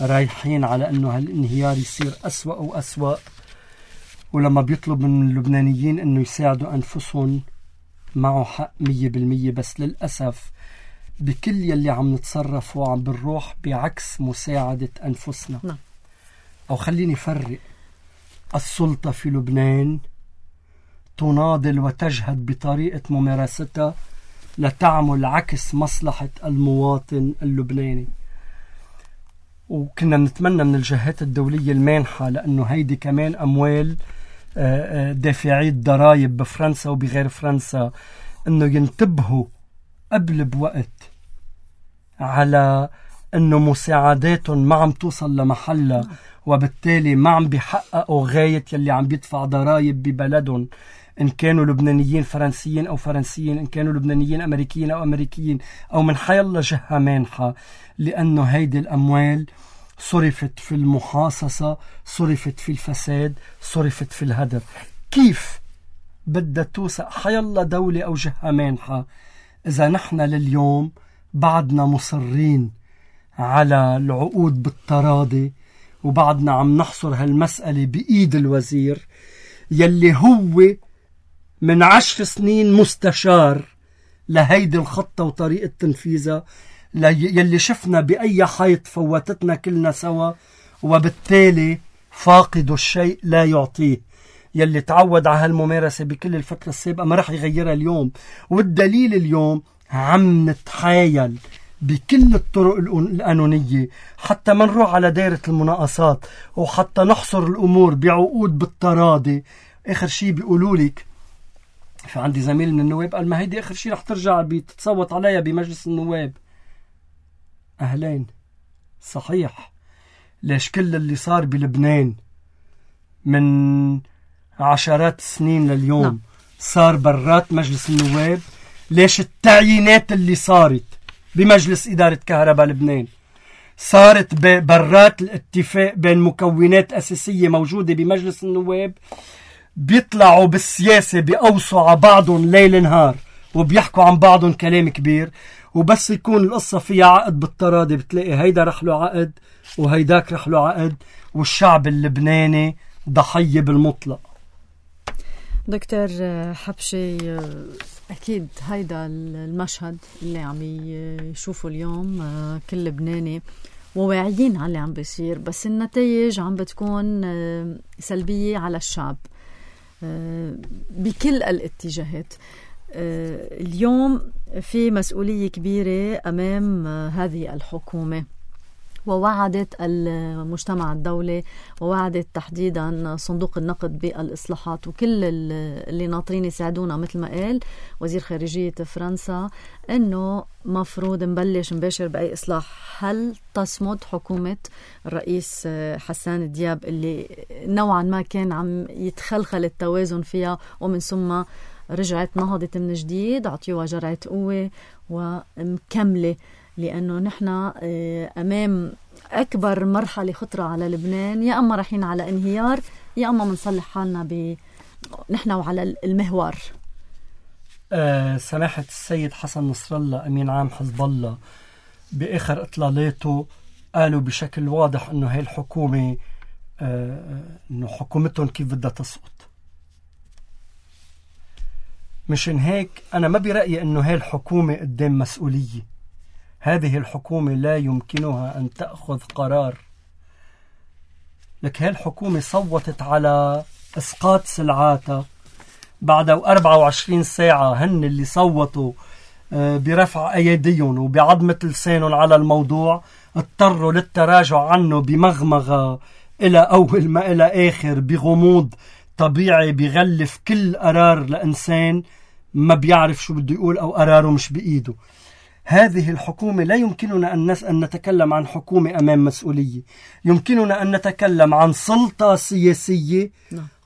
رايحين على أنه هالانهيار يصير أسوأ وأسوأ. ولما بيطلب من اللبنانيين أنه يساعدوا أنفسهم معه حق مية بالمية، بس للأسف بكل يلي عم نتصرف وعم بنروح بعكس مساعدة أنفسنا. نعم. أو خليني فرق، السلطة في لبنان تناضل وتجهد بطريقة ممارستها لتعمل عكس مصلحة المواطن اللبناني. وكنا نتمنى من الجهات الدولية المانحة، لأنه هيدي كمان أموال دافعي الضرائب بفرنسا وبغير فرنسا، أنه ينتبهوا قبل بوقت على أنه مساعداتهم ما عم توصل لمحلها، وبالتالي ما عم بيحققوا غاية يلي عم بيدفع ضرائب ببلدهم، إن كانوا لبنانيين فرنسيين أو فرنسيين، إن كانوا لبنانيين أمريكيين أو أمريكيين، أو من حيالله جهة مانحة، لأنه هيدي الأموال صرفت في المحاصصة، صرفت في الفساد، صرفت في الهدر. كيف بدها توثق حيالله دولة أو جهة مانحة إذا نحن لليوم بعدنا مصرين على العقود بالتراضي، وبعدنا عم نحصر هالمسألة بإيد الوزير يلي هو من عشر سنين مستشار لهيدي الخطة وطريقة تنفيذها، يلي شفنا بأي حيط فوتتنا كلنا سوا، وبالتالي فاقد الشيء لا يعطيه. يلي تعود على هالممارسة بكل الفترة السابقة ما رح يغيرها اليوم. والدليل اليوم عم نتحايل بكل الطرق القانونية حتى ما نروح على دائرة المناقصات وحتى نحصر الأمور بعقود بالتراضي. آخر شيء بيقولوا لك، في عندي زميل من النواب قال ما هيدي آخر شيء رح ترجع بتتصوت عليها بمجلس النواب. أهلين، صحيح. ليش كل اللي صار بلبنان من عشرات السنين لليوم نعم. صار برات مجلس النواب؟ ليش التعيينات اللي صارت بمجلس إدارة كهرباء لبنان صارت برات الاتفاق بين مكونات أساسية موجودة بمجلس النواب؟ بيطلعوا بالسياسة بيقوصوا على بعضهم ليل نهار وبيحكوا عن بعضهم كلام كبير، وبس يكون القصة فيها عقد بالتراضي بتلاقي هيدا رح له عقد وهيداك رح له عقد، والشعب اللبناني ضحية بالمطلق. دكتور حبشي، أكيد هيدا المشهد اللي عم يشوفوا اليوم كل لبناني وواعيين على اللي عم بيصير، بس النتائج عم بتكون سلبية على الشعب بكل الاتجاهات. اليوم في مسؤولية كبيرة أمام هذه الحكومة، ووعدت المجتمع الدولي ووعدت تحديدا صندوق النقد بالإصلاحات وكل اللي ناطرين يساعدونا مثل ما قال وزير خارجية فرنسا أنه مفروض نبلش نباشر بأي إصلاح. هل تصمد حكومة الرئيس حسان دياب اللي نوعا ما كان عم يتخلخل التوازن فيها ومن ثم رجعت نهضت من جديد، عطيوها جرعة قوة ومكملة؟ لأنه نحن أمام أكبر مرحلة خطرة على لبنان، يا أما رايحين على انهيار يا أما منصلح حالنا ب نحن وعلى المهوار. أه سماحة السيد حسن نصر الله أمين عام حزب الله بآخر إطلالاته قالوا بشكل واضح أنه هاي الحكومة أه أنه حكومتهم كيف بدها تسقط. مشان هيك أنا ما برأيي أنه هاي الحكومة قدام مسؤولية. هذه الحكومة لا يمكنها أن تأخذ قرار. لك هاي الحكومة صوتت على إسقاط سلعاتها بعد أربعة وعشرين ساعة. هن اللي صوتوا برفع أيديهم وبعضمة لسانهم على الموضوع اضطروا للتراجع عنه بمغمغة إلى أول ما إلى آخر، بغموض طبيعي بيغلف كل قرار لإنسان ما بيعرف شو بده يقول أو قراره مش بإيده. هذه الحكومة لا يمكننا أن, نس... أن نتكلم عن حكومة أمام مسؤولية. يمكننا أن نتكلم عن سلطة سياسية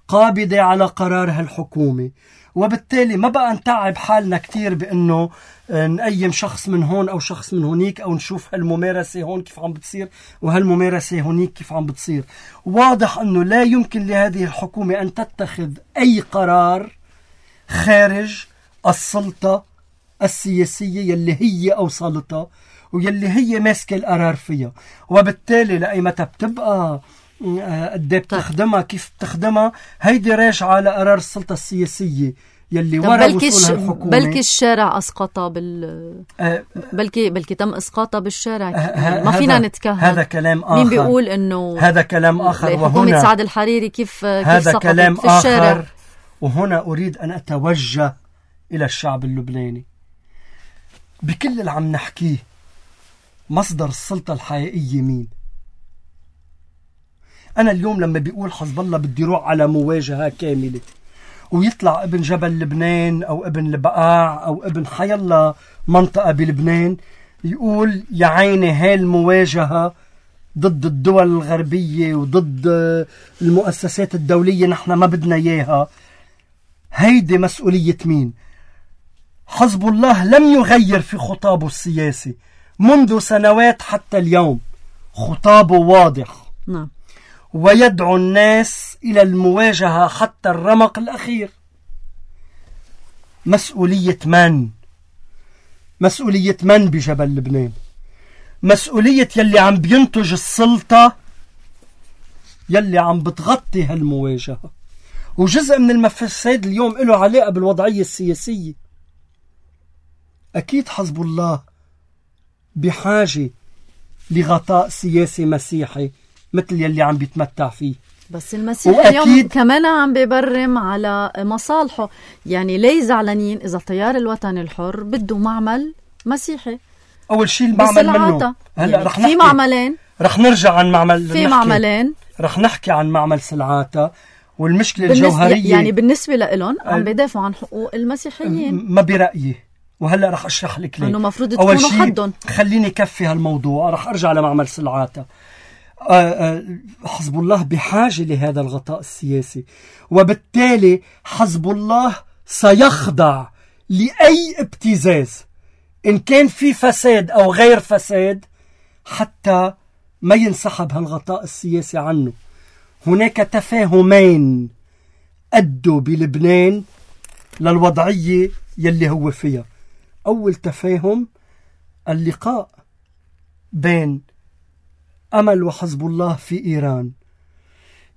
قابضة على قرار هالحكومة، وبالتالي ما بقى نتعب حالنا كتير بأنه نقيم شخص من هون أو شخص من هونيك أو نشوف هالممارسة هون كيف عم بتصير وهالممارسة هونيك كيف عم بتصير. واضح أنه لا يمكن لهذه الحكومة أن تتخذ أي قرار خارج السلطة السياسية يلي هي أوصلتها ويلي هي ماسكة القرار فيها، وبالتالي لأيمتى بتبقى قد بتخدمها كيف بتخدمها هيدي راجعة لقرار السلطة السياسية يلي ورا وصولها الحكومة. بلكي الشارع أسقطها بال أه بلكي بلكي تم إسقاطها بالشارع. أه ما فينا نتكهن. هذا كلام آخر. مين بيقول إنه هذا كلام آخر؟ حكومة سعد الحريري كيف هذا كيف سقطت كلام في الشارع آخر. وهنا أريد أن أتوجه إلى الشعب اللبناني بكل اللي عم نحكيه. مصدر السلطة الحقيقية مين؟ أنا اليوم لما بيقول حزب الله بدي روح على مواجهة كاملة ويطلع ابن جبل لبنان أو ابن البقاع أو ابن حيالله منطقة بلبنان يقول يا عيني هاي المواجهة ضد الدول الغربية وضد المؤسسات الدولية نحن ما بدنا إياها، هيدي مسؤولية مين؟ حزب الله لم يغير في خطابه السياسي منذ سنوات حتى اليوم. خطابه واضح نعم. ويدعو الناس إلى المواجهة حتى الرمق الأخير. مسؤولية من؟ مسؤولية من بجبل لبنان؟ مسؤولية يلي عم بينتج السلطة يلي عم بتغطي هالمواجهة، وجزء من المفسد اليوم له علاقة بالوضعية السياسية. أكيد حزب الله بحاجة لغطاء سياسي مسيحي مثل يلي عم بيتمتع فيه. بس المسيح اليوم كمان عم بيبرم على مصالحه، يعني ليه زعلانين إذا التيار الوطني الحر بده معمل مسيحي؟ أول شيء المعمل منه هلا يعني رح في معملين، رح نرجع عن معمل في معملين رح نحكي عن معمل سلعاتا. والمشكلة الجوهرية يعني بالنسبة لهم عم بيدافعوا عن حقوق المسيحيين، ما برأيي. وهلا رح أشرح لك ليه. أنه مفروض تكونوا حدهم. خليني كفي هالموضوع، رح أرجع لمعمل سلعاتا. حزب الله بحاجة لهذا الغطاء السياسي، وبالتالي حزب الله سيخضع لأي ابتزاز إن كان في فساد أو غير فساد حتى ما ينسحب هالغطاء السياسي عنه. هناك تفاهمين أدوا بلبنان للوضعية يلي هو فيها. أول تفاهم اللقاء بين أمل وحزب الله في إيران،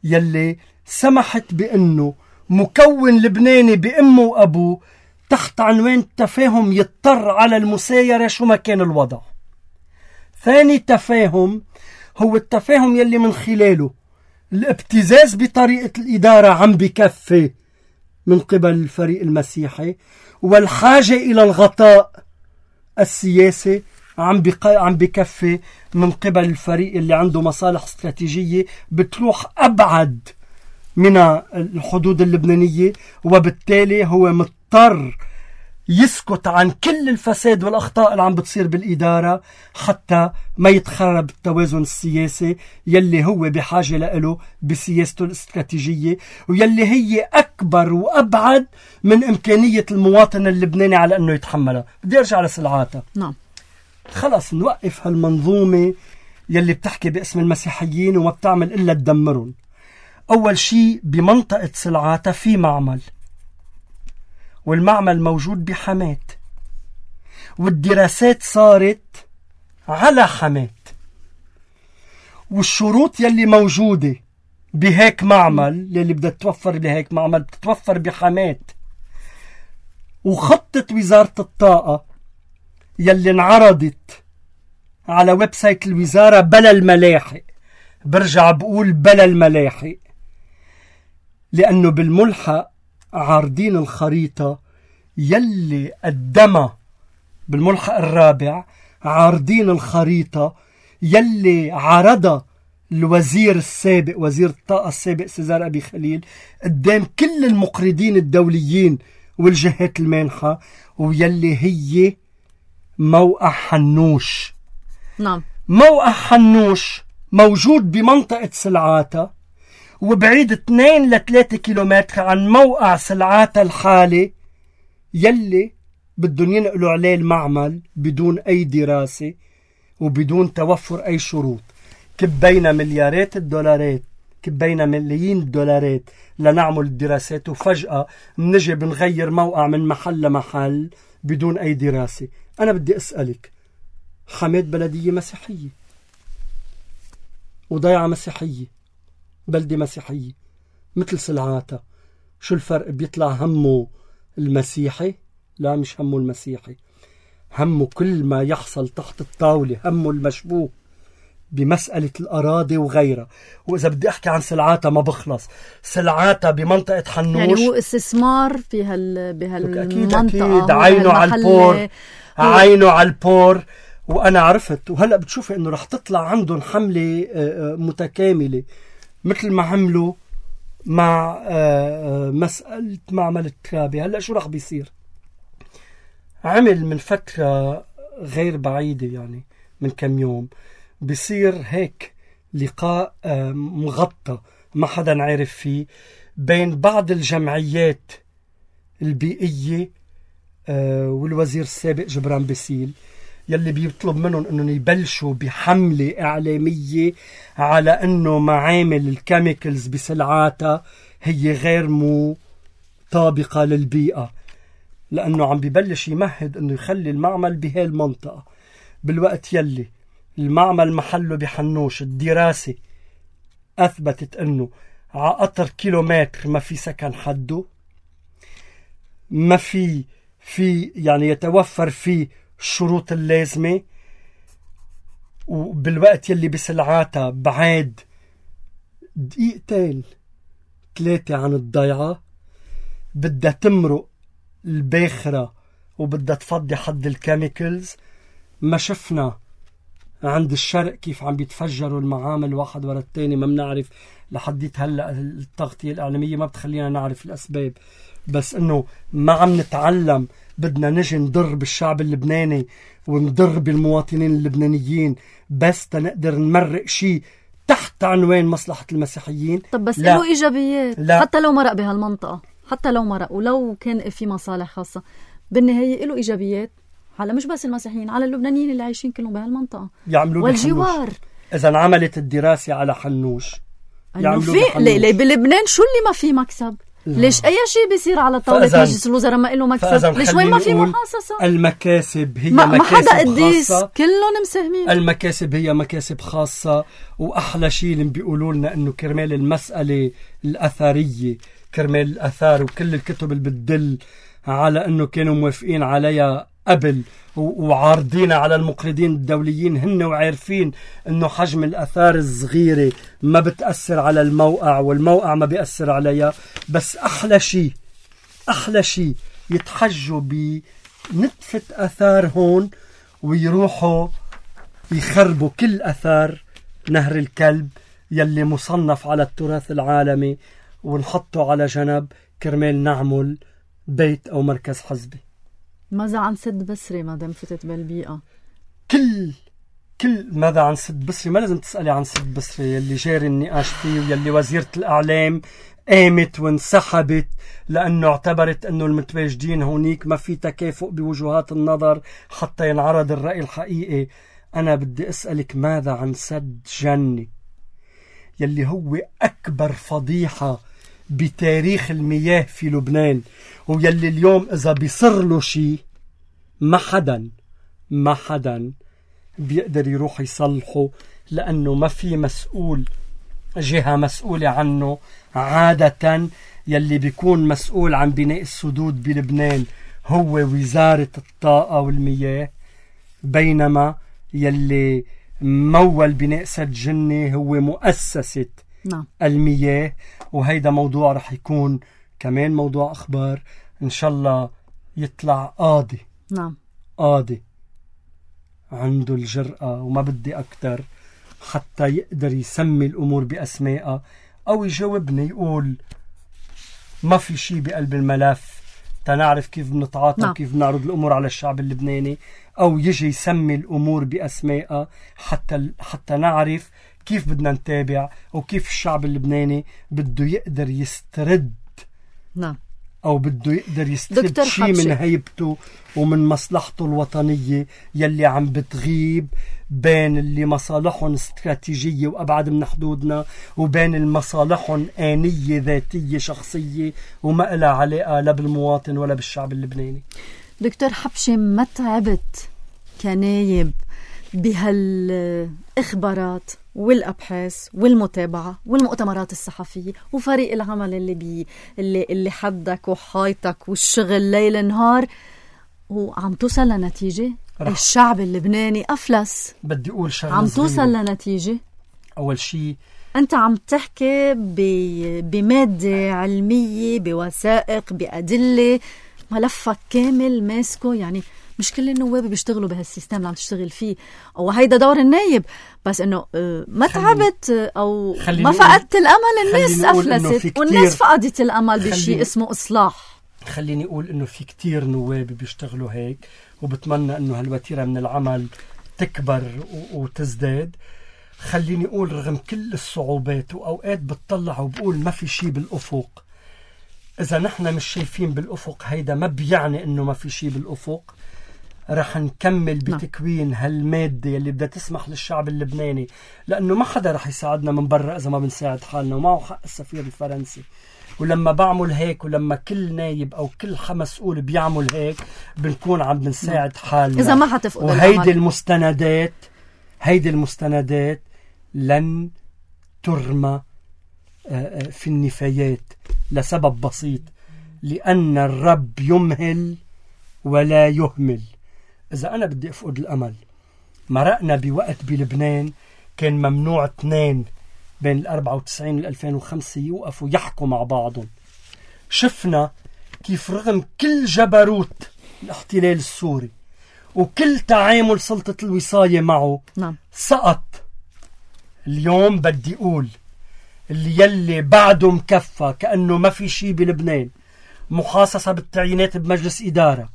يلي سمحت بأنه مكون لبناني بأمه وأبوه تحت عنوان تفاهم يضطر على المسايرة شو ما كان الوضع. ثاني تفاهم هو التفاهم يلي من خلاله الابتزاز بطريقة الإدارة عم بكفي من قبل الفريق المسيحي، والحاجة إلى الغطاء السياسي عم بق... عم بكفي من قبل الفريق اللي عنده مصالح استراتيجية بتروح أبعد من الحدود اللبنانية، وبالتالي هو مضطر يسكت عن كل الفساد والأخطاء اللي عم بتصير بالإدارة حتى ما يتخرب التوازن السياسي يلي هو بحاجة له بسياسته الاستراتيجية، ويلي هي أكبر وأبعد من إمكانية المواطن اللبناني على أنه يتحملها. بدي أرجع لسلعاتا. نعم، خلص نوقف هالمنظومة يلي بتحكي باسم المسيحيين وما بتعمل إلا تدمرهم. أول شيء بمنطقة سلعاتا في معمل، والمعمل موجود بحماة، والدراسات صارت على حماة، والشروط يلي موجودة بهيك معمل يلي بدها تتوفر بهيك معمل بتتوفر بحماة. وخطة وزارة الطاقة يلي انعرضت على ويب سايت الوزارة بلا الملاحق، برجع بقول بلا الملاحق لأنه بالملحق عارضين الخريطة يلي قدمها بالملحق الرابع، عارضين الخريطة يلي عرضها الوزير السابق وزير الطاقة السابق سيزار أبي خليل قدام كل المقرضين الدوليين والجهات المانحة، ويلي هي موقع حنوش. نعم، موقع حنوش موجود بمنطقة سلعاتا وبعيد اثنين لثلاثة كيلومتر عن موقع سلعاتا الحالي يلي بدهم ينقلوا عليه المعمل بدون أي دراسة وبدون توفر أي شروط. كبينا مليارات الدولارات، كبينا ملايين الدولارات لنعمل الدراسات، وفجأة نجي بنغير موقع من محل لمحل بدون أي دراسة. أنا بدي أسألك، حماة بلدية مسيحية وضيعة مسيحية، بلدة مسيحية مثل سلعاتا، شو الفرق؟ بيطلع همه المسيحي؟ لا، مش همه المسيحي، همه كل ما يحصل تحت الطاولة، همه المشبوه بمسألة الأراضي وغيرها. وإذا بدي أحكي عن سلعاتا ما بخلص. سلعاتا بمنطقة حنوش يعني هو استثمار في هال بهالمنطقة. أكيد أكيد، عينه على البور، عينه على البور. وأنا عرفت، وهلأ بتشوفي إنه رح تطلع عندهم حملة متكاملة مثل ما عملوا مع مسألة معمل الترابي. هلأ شو رح بيصير؟ عمل من فترة غير بعيدة، يعني من كم يوم، بيصير هيك لقاء مغطى ما حدا عارف فيه بين بعض الجمعيات البيئية والوزير السابق جبران باسيل، يلي بيطلب منهم انهم يبلشوا بحملة اعلامية على انه معامل الكيميكلز بسلعاتا هي غير مطابقة للبيئة، لانه عم بيبلش يمهد انه يخلي المعمل بهاي المنطقة، بالوقت يلي المعمل محله بحنوش. الدراسة اثبتت انه على قطر كيلومتر ما في سكن حده، ما في في يعني يتوفر فيه الشروط اللازمة، وبالوقت يلي بسلعاتا بعاد دقيقتين ثلاثة عن الضيعة بدها تمرق الباخرة وبدها تفضي حد الكيميكلز. ما شفنا عند الشرق كيف عم بيتفجروا المعامل واحد ورا التاني، ما بنعرف لحديت هلأ التغطية الإعلامية ما بتخلينا نعرف الأسباب، بس إنه ما عم نتعلم. بدنا نجي نضر بالشعب اللبناني ونضر بالمواطنين اللبنانيين بس تنقدر نمرق شيء تحت عنوان مصلحة المسيحيين. طب بس له إيجابيات لا. حتى لو مرق بهالمنطقة، حتى لو مرق ولو كان في مصالح خاصة، بالنهاية له إيجابيات على مش بس المسيحيين، على اللبنانيين اللي عايشين كلهم بهالمنطقة يعملوا والجوار. إذا انعملت الدراسة على حنوش يعملوا في ليه بلبنان شو اللي ما في مكسب؟ لا. ليش أي شيء بيصير على طاولة مجلس الوزراء ما له مكسب؟ ليش وين ما في محاصصة؟ المكاسب هي ما مكاسب حدا قديس، خاصة، كلهم مساهمين. المكاسب هي مكاسب خاصة. وأحلى شيء اللي بيقولوا لنا إنه كرمال المسألة الأثرية، كرمال الأثار وكل الكتب اللي بتدل على إنه كانوا موافقين عليها قبل وعارضين على المقرضين الدوليين، هن وعارفين انه حجم الاثار الصغيرة ما بتأثر على الموقع والموقع ما بيأثر عليها. بس احلى شيء احلى شيء يتحجوا بنتفة اثار هون ويروحوا يخربوا كل اثار نهر الكلب يلي مصنف على التراث العالمي ونحطه على جنب كرمال نعمل بيت او مركز حزبي. ماذا عن سد بصري ما دام فتت بالبيئة؟ كل كل ماذا عن سد بصري؟ ما لازم تسألي عن سد بصري يلي جاري النقاش فيه ويلي وزيرة الإعلام قامت وانسحبت لأنه اعتبرت أنه المتواجدين هونيك ما في تكافؤ بوجهات النظر حتى ينعرض الرأي الحقيقي. أنا بدي أسألك ماذا عن سد جنة يلي هو أكبر فضيحة بتاريخ المياه في لبنان، ويلي اليوم إذا بيصر له شيء ما حدا ما حدا بيقدر يروح يصلحه لأنه ما في مسؤول، جهة مسؤولة عنه. عادة يلي بيكون مسؤول عن بناء السدود بلبنان هو وزارة الطاقة والمياه، بينما يلي مول بناء سد جنة هو مؤسسة نعم. المياه. وهيدا موضوع رح يكون كمان موضوع أخبار إن شاء الله يطلع قاضي. نعم. قاضي عنده الجرأة وما بدي أكتر حتى يقدر يسمي الأمور بأسمائها، أو يجاوبني يقول ما في شيء بقلب الملف تنعرف كيف بنتعاطى نعم. وكيف بنعرض الأمور على الشعب اللبناني، أو يجي يسمي الأمور بأسمائها حتى حتى نعرف كيف بدنا نتابع وكيف الشعب اللبناني بده يقدر يسترد. نعم. أو بده يقدر يسترد شيء من هيبته ومن مصلحته الوطنية يلي عم بتغيب بين اللي مصالحهم استراتيجية وأبعد من حدودنا وبين المصالحهم آنية ذاتية شخصية وما إلها علاقة لا بالمواطن ولا بالشعب اللبناني. دكتور حبشي، ما تعبت كنايب بهالإخبارات والأبحاث والمتابعة والمؤتمرات الصحفية وفريق العمل اللي بي اللي اللي حدك وحايطك والشغل ليل نهار وعم توصل لنتيجة؟ الشعب اللبناني أفلس. بدي أقول شغلة عم توصل لنتيجة. أول شيء أنت عم تحكي بمادة علمية بوثائق بأدلة، ملفك كامل ماسكه، يعني مش كل النواب بيشتغلوا بهالسيستم اللي عم تشتغل فيه، او هيدا دور النايب، بس انه ما تعبت او ما فقدت الامل. الناس افلست والناس فقدت الامل بشيء اسمه اصلاح. خليني اقول انه في كتير نواب بيشتغلوا هيك، وبتمنى انه هالوتيرة من العمل تكبر وتزداد. خليني اقول رغم كل الصعوبات واوقات بتطلع وبقول ما في شيء بالافق، اذا نحن مش شايفين بالافق هيدا ما بيعني انه ما في شيء بالافق. رح نكمل بتكوين هالمادة اللي بدها تسمح للشعب اللبناني، لأنه ما حدا رح يساعدنا من برا إذا ما بنساعد حالنا، ومعه حق السفير الفرنسي. ولما بعمل هيك ولما كل نايب أو كل مسؤول بيعمل هيك بنكون عم بنساعد حالنا. إذا ما حتفقد وهيدي المستندات هيدي المستندات لن ترمى في النفايات لسبب بسيط، لأن الرب يمهل ولا يهمل. إذا أنا بدي أفقد الأمل، مرقنا بوقت بلبنان كان ممنوع اثنين بين الأربعة وتسعين والألفين وخمسة يوقفوا يحكوا مع بعضهم. شفنا كيف رغم كل جبروت الاحتلال السوري وكل تعامل سلطة الوصاية معه نعم. سقط. اليوم بدي أقول اللي يلي بعده مكفى كأنه ما في شي بلبنان، محاصصة بالتعيينات بمجلس إدارة،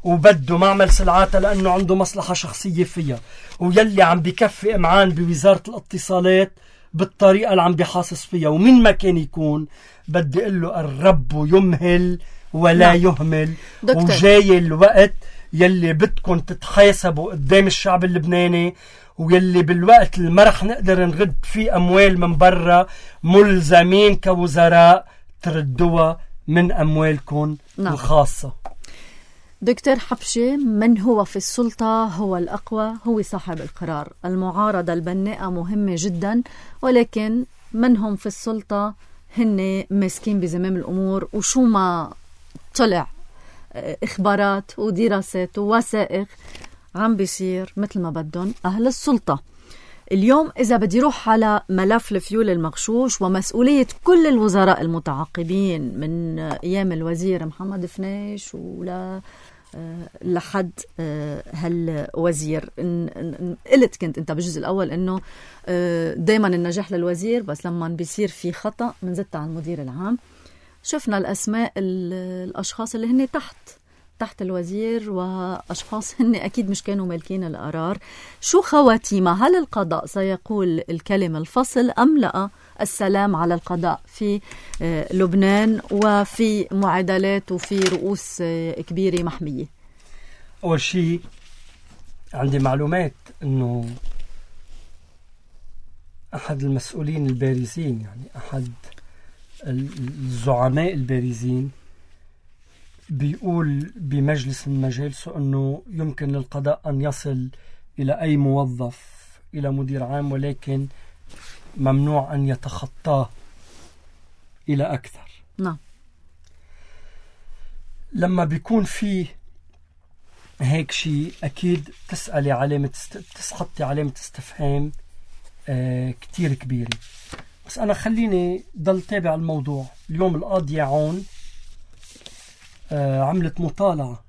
وبده معمل سلعاتها لأنه عنده مصلحة شخصية فيها، ويلي عم بكفي إمعان بوزارة الاتصالات بالطريقة اللي عم بيحاصص فيها، ومن ما كان يكون بدي أقول له الرب يمهل ولا نعم. يهمل. دكتور. وجاي الوقت يلي بدكم تتحاسبوا قدام الشعب اللبناني، ويلي بالوقت اللي ما رح نقدر نرد فيه أموال من برا ملزمين كوزراء تردوها من أموالكم نعم. الخاصة. دكتور حبشي، من هو في السلطة هو الأقوى، هو صاحب القرار. المعارضة البناءة مهمة جدا، ولكن من هم في السلطة هن ماسكين بزمام الأمور، وشو ما طلع إخبارات ودراسات ووثائق عم بيصير مثل ما بدهم أهل السلطة. اليوم إذا بدي روح على ملف الفيول المغشوش ومسؤولية كل الوزراء المتعاقبين من أيام الوزير محمد فنيش ولا لحد هالوزير، قلت كنت انت بالجزء الاول انه دايما النجاح للوزير، بس لما بيصير في خطأ منزت على المدير العام. شفنا الاسماء الاشخاص اللي هن تحت تحت الوزير، واشخاص هن اكيد مش كانوا مالكين القرار. شو خواتيمها؟ هل القضاء سيقول الكلمة الفصل ام لا السلام على القضاء في لبنان وفي معادلات وفي رؤوس كبيرة محمية؟ أول شيء عندي معلومات أنه أحد المسؤولين البارزين، يعني أحد الزعماء البارزين، بيقول بمجلس من مجالسه أنه يمكن للقضاء أن يصل إلى أي موظف، إلى مدير عام، ولكن ممنوع أن يتخطاه إلى أكثر. نعم. لما بيكون في هيك شيء أكيد تسألي علامة است... تسحطي علامة استفهام آه كتير كبيرة. بس أنا خليني ضل تابع الموضوع. اليوم القاضية عون آه عملت مطالعة،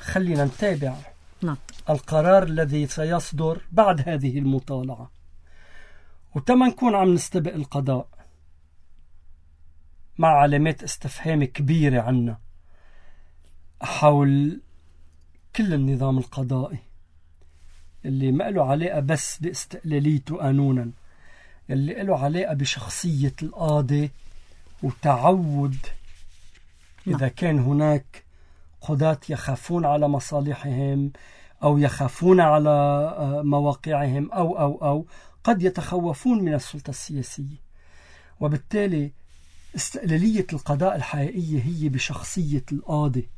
خلينا نتابع نعم. القرار الذي سيصدر بعد هذه المطالعة، وتما نكون عم نستبق القضاء مع علامات استفهام كبيرة عنا حول كل النظام القضائي اللي ما له علاقة بس باستقلاليته قانونا، اللي له علاقة بشخصية القاضي وتعود إذا كان هناك قضاة يخافون على مصالحهم أو يخافون على مواقعهم أو أو أو قد يتخوفون من السلطة السياسية. وبالتالي استقلالية القضاء الحقيقية هي بشخصية القاضي.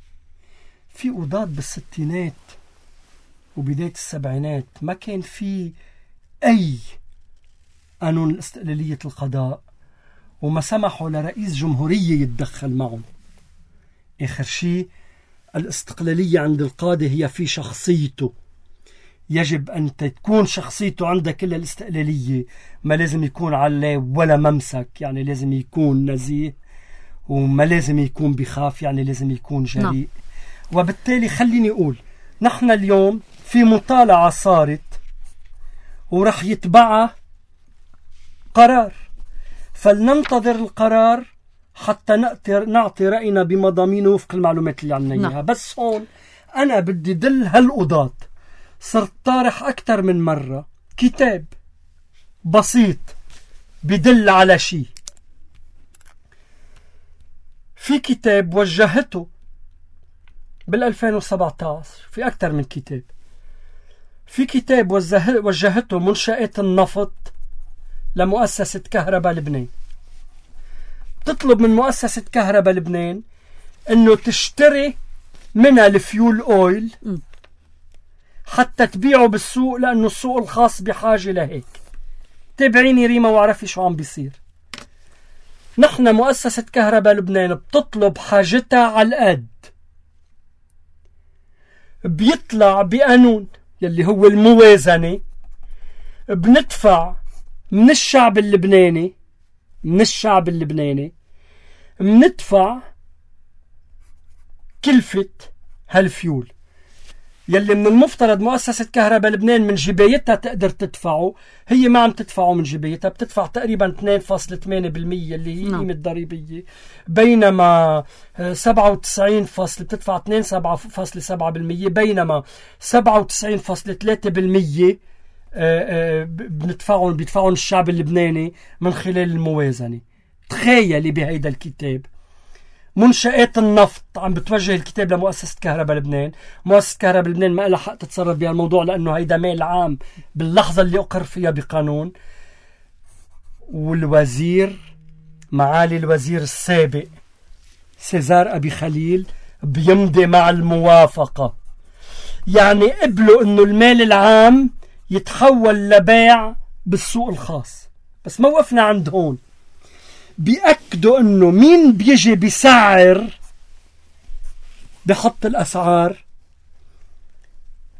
في قضاة بالستينات وبداية السبعينات ما كان في أي قانون استقلالية القضاء، وما سمحوا لرئيس جمهورية يتدخل معهم. آخر شيء الاستقلالية عند القاضي هي في شخصيته. يجب أن تكون شخصيته عندها كل الاستقلالية، ما لازم يكون عليه ولا ممسك، يعني لازم يكون نزيه، وما لازم يكون بخاف، يعني لازم يكون جريء. نعم. وبالتالي خليني أقول نحن اليوم في مطالعة صارت ورح يتبعها قرار، فلننتظر القرار حتى نعطي رأينا بمضامينه وفق المعلومات اللي عنا إياها. بس هون أنا بدي دل هالقضاة. صرت طارح أكثر من مرة كتاب بسيط بدل على شيء. في كتاب وجهته بالألفين وسبعة عشر، في أكثر من كتاب. في كتاب وجهته منشآت النفط لمؤسسة كهرباء لبنان، تطلب من مؤسسة كهرباء لبنان أنه تشتري منها الفيول أويل حتى تبيعه بالسوق، لأنه السوق الخاص بحاجة لهيك. تابعيني ريما وعرفي شو عم بيصير. نحن مؤسسة كهرباء لبنان بتطلب حاجتها على القد، بيطلع بقانون يلي هو الموازنة، بندفع من الشعب اللبناني من الشعب اللبناني مندفع كلفة هالفيول يلي من المفترض مؤسسة كهرباء لبنان من جبايتها تقدر تدفعه، هي ما عم تدفعه من جبايتها، بتدفع تقريبا اثنين فاصلة ثمانية بالمية اللي هي قيمة ضريبية، بينما سبعة وتسعين فاصلة بتدفع اثنين فاصلة سبعة بالمية، بينما سبعة وتسعين فاصلة ثلاثة بالمية بندفعهم بيدفعهم الشعب اللبناني من خلال الموازنة. تخيلي بهيدا الكتاب منشآت النفط عم بتوجه الكتاب لمؤسسة كهرباء لبنان، مؤسسة كهرباء لبنان ما لها حق تتصرف بهالموضوع لأنه هيدا مال عام باللحظة اللي أقر فيها بقانون. والوزير معالي الوزير السابق سيزار أبي خليل بيمضي مع الموافقة، يعني قبلوا إنه المال العام يتحول لبيع بالسوق الخاص. بس ما وقفنا عند هون، بيأكدوا انه مين بيجي بيسعر بحط الاسعار؟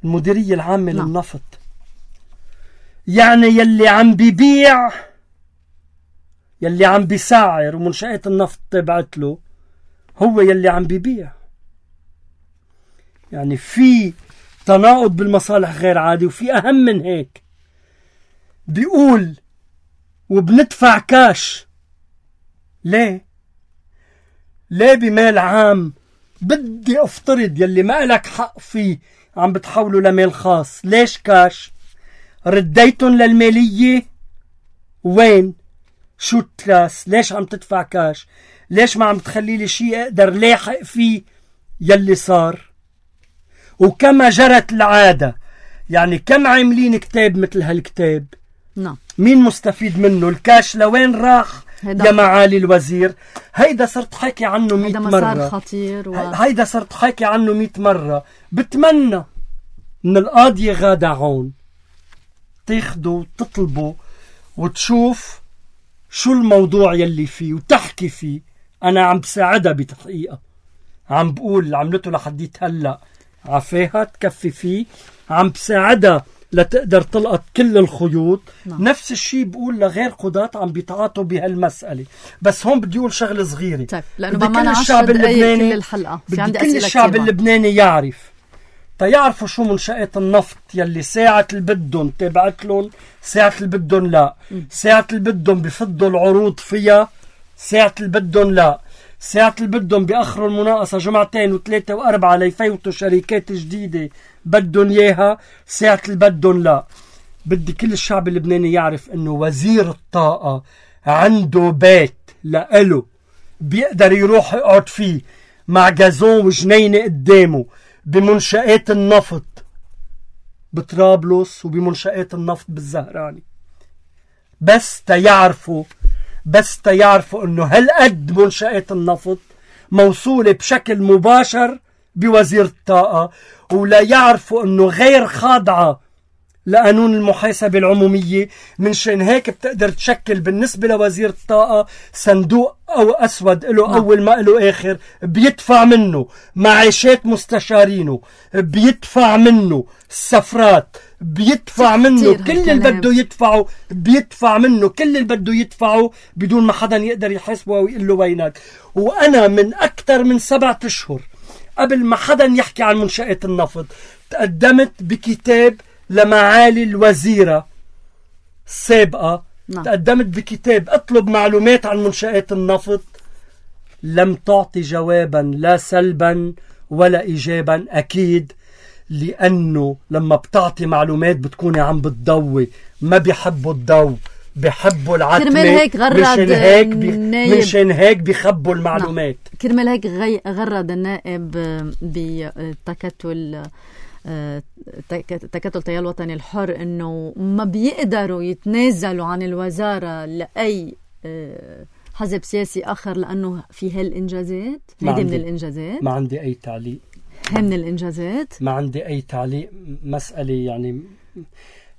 المديرية العامة نعم. للنفط. يعني يلي عم بيبيع يلي عم بيسعر ومنشآت النفط تبعت له هو يلي عم بيبيع. يعني في تناقض بالمصالح غير عادي. وفي اهم من هيك، بيقول وبندفع كاش. ليه؟ ليه بمال عام بدي افترض يلي ما لك حق فيه عم بتحوله لمال خاص؟ ليش كاش؟ رديتن للمالية؟ وين؟ شو التراس؟ ليش عم تدفع كاش؟ ليش ما عم تخلي لي شيء اقدر لاحق فيه يلي صار؟ وكما جرت العادة، يعني كم عاملين كتاب مثل هالكتاب؟ نعم. مين مستفيد منه؟ الكاش لوين راح يا معالي الوزير؟ هيدا صرت حكي عنه مئة مرة. هيدا مسار خطير و... هيدا صرت حكي عنه مئة مرة. بتمنى من القاضية غادة عون تاخده وتطلبه وتشوف شو الموضوع يلي فيه وتحكي فيه. أنا عم بساعدها بتحقيقها، عم بقول عملته لحديت هلأ عفاها تكفي فيه، عم بساعدها لتقدر تلقط كل الخيوط. نعم. نفس الشيء بقول لغير قضاة عم بيتعاطوا بهالمسألة. بس هون بدي أقول شغلة صغيرة. طيب لأنه كل الشعب اللبناني كل الحلقة بدي كل الشعب اللبناني يعرف تيعرفوا شو منشآت النفط يلي ساعة اللي بدهم تبعت لهم، ساعة اللي بدهم لا، ساعة اللي بدهم بفضوا العروض فيها، ساعة اللي بدهم لا، ساعة اللي بدهم بأخروا المناقصة جمعتين وثلاثة وأربعة ليفوتوا شركات جديدة بدهم إياها، ساعة اللي بدهم لا. بدي كل الشعب اللبناني يعرف إنه وزير الطاقة عنده بيت لإله بيقدر يروح يقعد فيه مع جازون وجنينة قدامه بمنشآت النفط بطرابلس وبمنشآت النفط بالزهراني. بس تيعرفوا بس تيعرفوا انه هالقد منشآت النفط موصولة بشكل مباشر بوزير الطاقة، ولا يعرفوا انه غير خاضعة لقانون المحاسبة العمومية. من شان هيك بتقدر تشكل بالنسبة لوزير الطاقة صندوق أو أسود له أول ما له آخر، بيدفع منه معاشات مستشارينه، بيدفع منه السفرات، بيدفع منه كل اللي بده يدفعه، بيدفع منه كل اللي بده يدفعه بدون ما حدا يقدر يحاسبه أو يقول له وينك. وأنا من أكثر من سبعة أشهر قبل ما حدا يحكي عن منشآت النفط تقدمت بكتاب لمعالي الوزيرة السابقة. نعم. تقدمت بكتاب اطلب معلومات عن منشآت النفط، لم تعطي جوابا لا سلبا ولا إيجابا. أكيد لأنه لما بتعطي معلومات بتكوني عم بتضوي، ما بيحبوا الضو، بيحبوا العتمة. كرمال هيك غرد مشان هيك بي... مشان هيك بيخبوا المعلومات. نعم. كرمال هيك غي... غرد النائب بتكتل تكتل تيار الوطني الحر انه ما بيقدروا يتنازلوا عن الوزارة لأي حزب سياسي آخر لأنه في هالإنجازات. هيدي من الإنجازات. ما عندي أي تعليق. هي من الإنجازات. ما عندي أي تعليق. مسألة يعني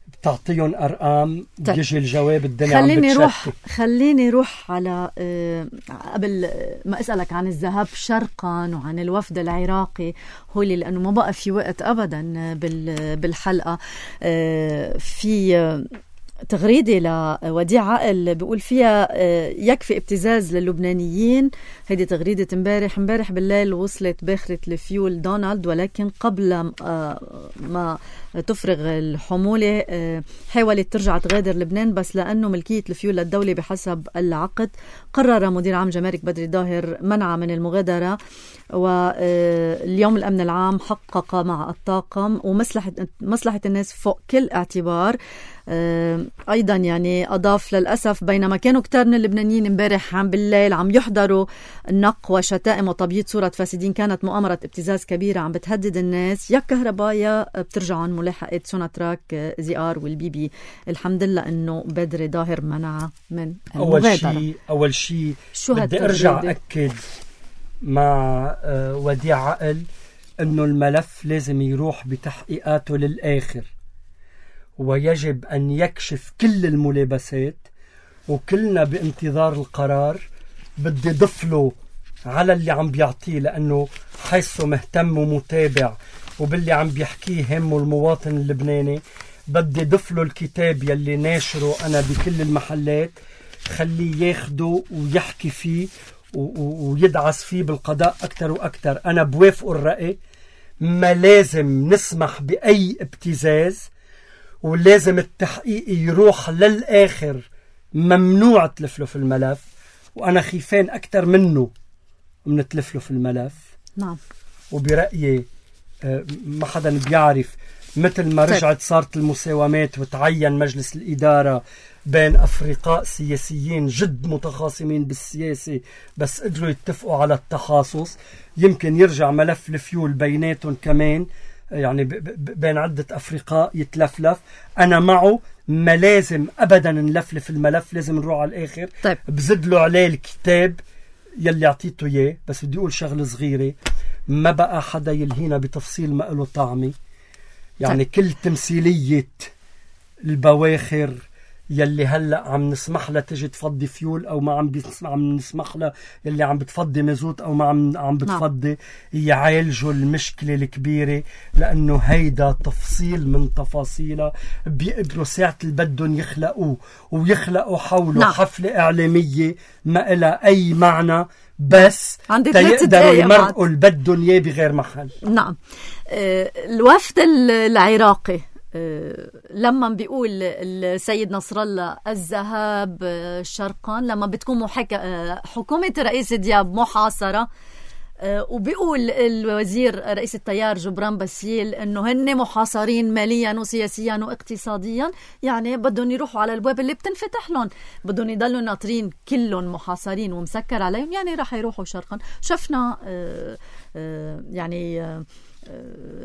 بتعطيهم أرقام بيجي الجواب الدنيا عم خليني بتشتت. روح خليني روح على أه قبل ما أسألك عن الذهاب شرقا وعن الوفد العراقي هولي، لأنه ما بقى في وقت أبدا بالحلقة. أه في تغريدة لوديع عقل بيقول فيها يكفي ابتزاز للبنانيين. هيدي تغريدة امبارح امبارح بالليل وصلت باخرة الفيول دونالد، ولكن قبل ما تفرغ الحمولة حاولت ترجع تغادر لبنان، بس لأنه ملكية الفيول للدولة بحسب العقد قرر مدير عام جمارك بدري ضاهر منعها من المغادرة. واليوم الأمن العام حقق مع الطاقم ومصلحة مصلحة الناس فوق كل اعتبار. أيضا يعني أضاف للأسف بينما كانوا كتار من اللبنانيين امبارح عم بالليل عم يحضروا النق وشتائم وتبييض صورة فاسدين، كانت مؤامرة ابتزاز كبيرة عم بتهدد الناس، يا كهرباء يا بترجع عن ملاحقة سوناتراك زي آر والبيبي. الحمد لله إنه بدري ضاهر منع من المغادرة. أول شيء أول شيء بدي أرجع أكد مع وديع عقل إنه الملف لازم يروح بتحقيقاته للآخر، ويجب أن يكشف كل الملابسات، وكلنا بانتظار القرار. بدي ضفله على اللي عم بيعطيه، لأنه حيث مهتم ومتابع وباللي عم بيحكيه همه المواطن اللبناني، بدي ضفله الكتاب يلي ناشره أنا بكل المحلات، خليه ياخده ويحكي فيه ويدعس فيه بالقضاء أكتر وأكتر. أنا بوافق الرأي، ما لازم نسمح بأي ابتزاز، ولازم التحقيق يروح للآخر، ممنوع تلفله في الملف، وأنا خيفان أكتر منه من تلفله في الملف. نعم. وبرأيي ما حدا بيعرف، مثل ما رجعت صارت المساومات وتعين مجلس الإدارة بين أفرقاء سياسيين جد متخاصمين بالسياسة بس قدروا يتفقوا على التخاصص، يمكن يرجع ملف الفيول بيناتهم كمان، يعني بين عدة أفرقاء يتلفلف. أنا معه، ما لازم أبدا نلفلف الملف، لازم نروح على الآخر. طيب. بزدلوا عليه الكتاب يلي عطيته إياه. بس بدي أقول شغلة صغيرة، ما بقى حدا يلهينا بتفصيل ما له طعمي. يعني طيب. كل تمثيلية البواخر يلي هلأ عم نسمح لها تجي تفضي فيول أو ما عم بنسمح عم نسمح لها، يلي عم بتفضي مازوت أو ما عم عم بتفضي، يعالجوا المشكلة الكبيرة، لأنه هيدا تفصيل من تفاصيلها بيقدروا ساعة اللي بدهم يخلقوه ويخلقوا حوله نعم. حفلة إعلامية ما إلها أي معنى، بس تيقدروا يمرقوا اللي بدهم إياه بغير محل. نعم. الوفد العراقي لما بيقول السيد نصر الله الذهاب شرقا، لما بتكون محاكة حكومة رئيس دياب محاصرة، وبيقول الوزير رئيس التيار جبران باسيل انه هن محاصرين ماليا وسياسيا واقتصاديا، يعني بدهم يروحوا على البواب اللي بتنفتح لهم، بدهم يضلوا ناطرين كلهم محاصرين ومسكر عليهم، يعني راح يروحوا شرقا. شفنا يعني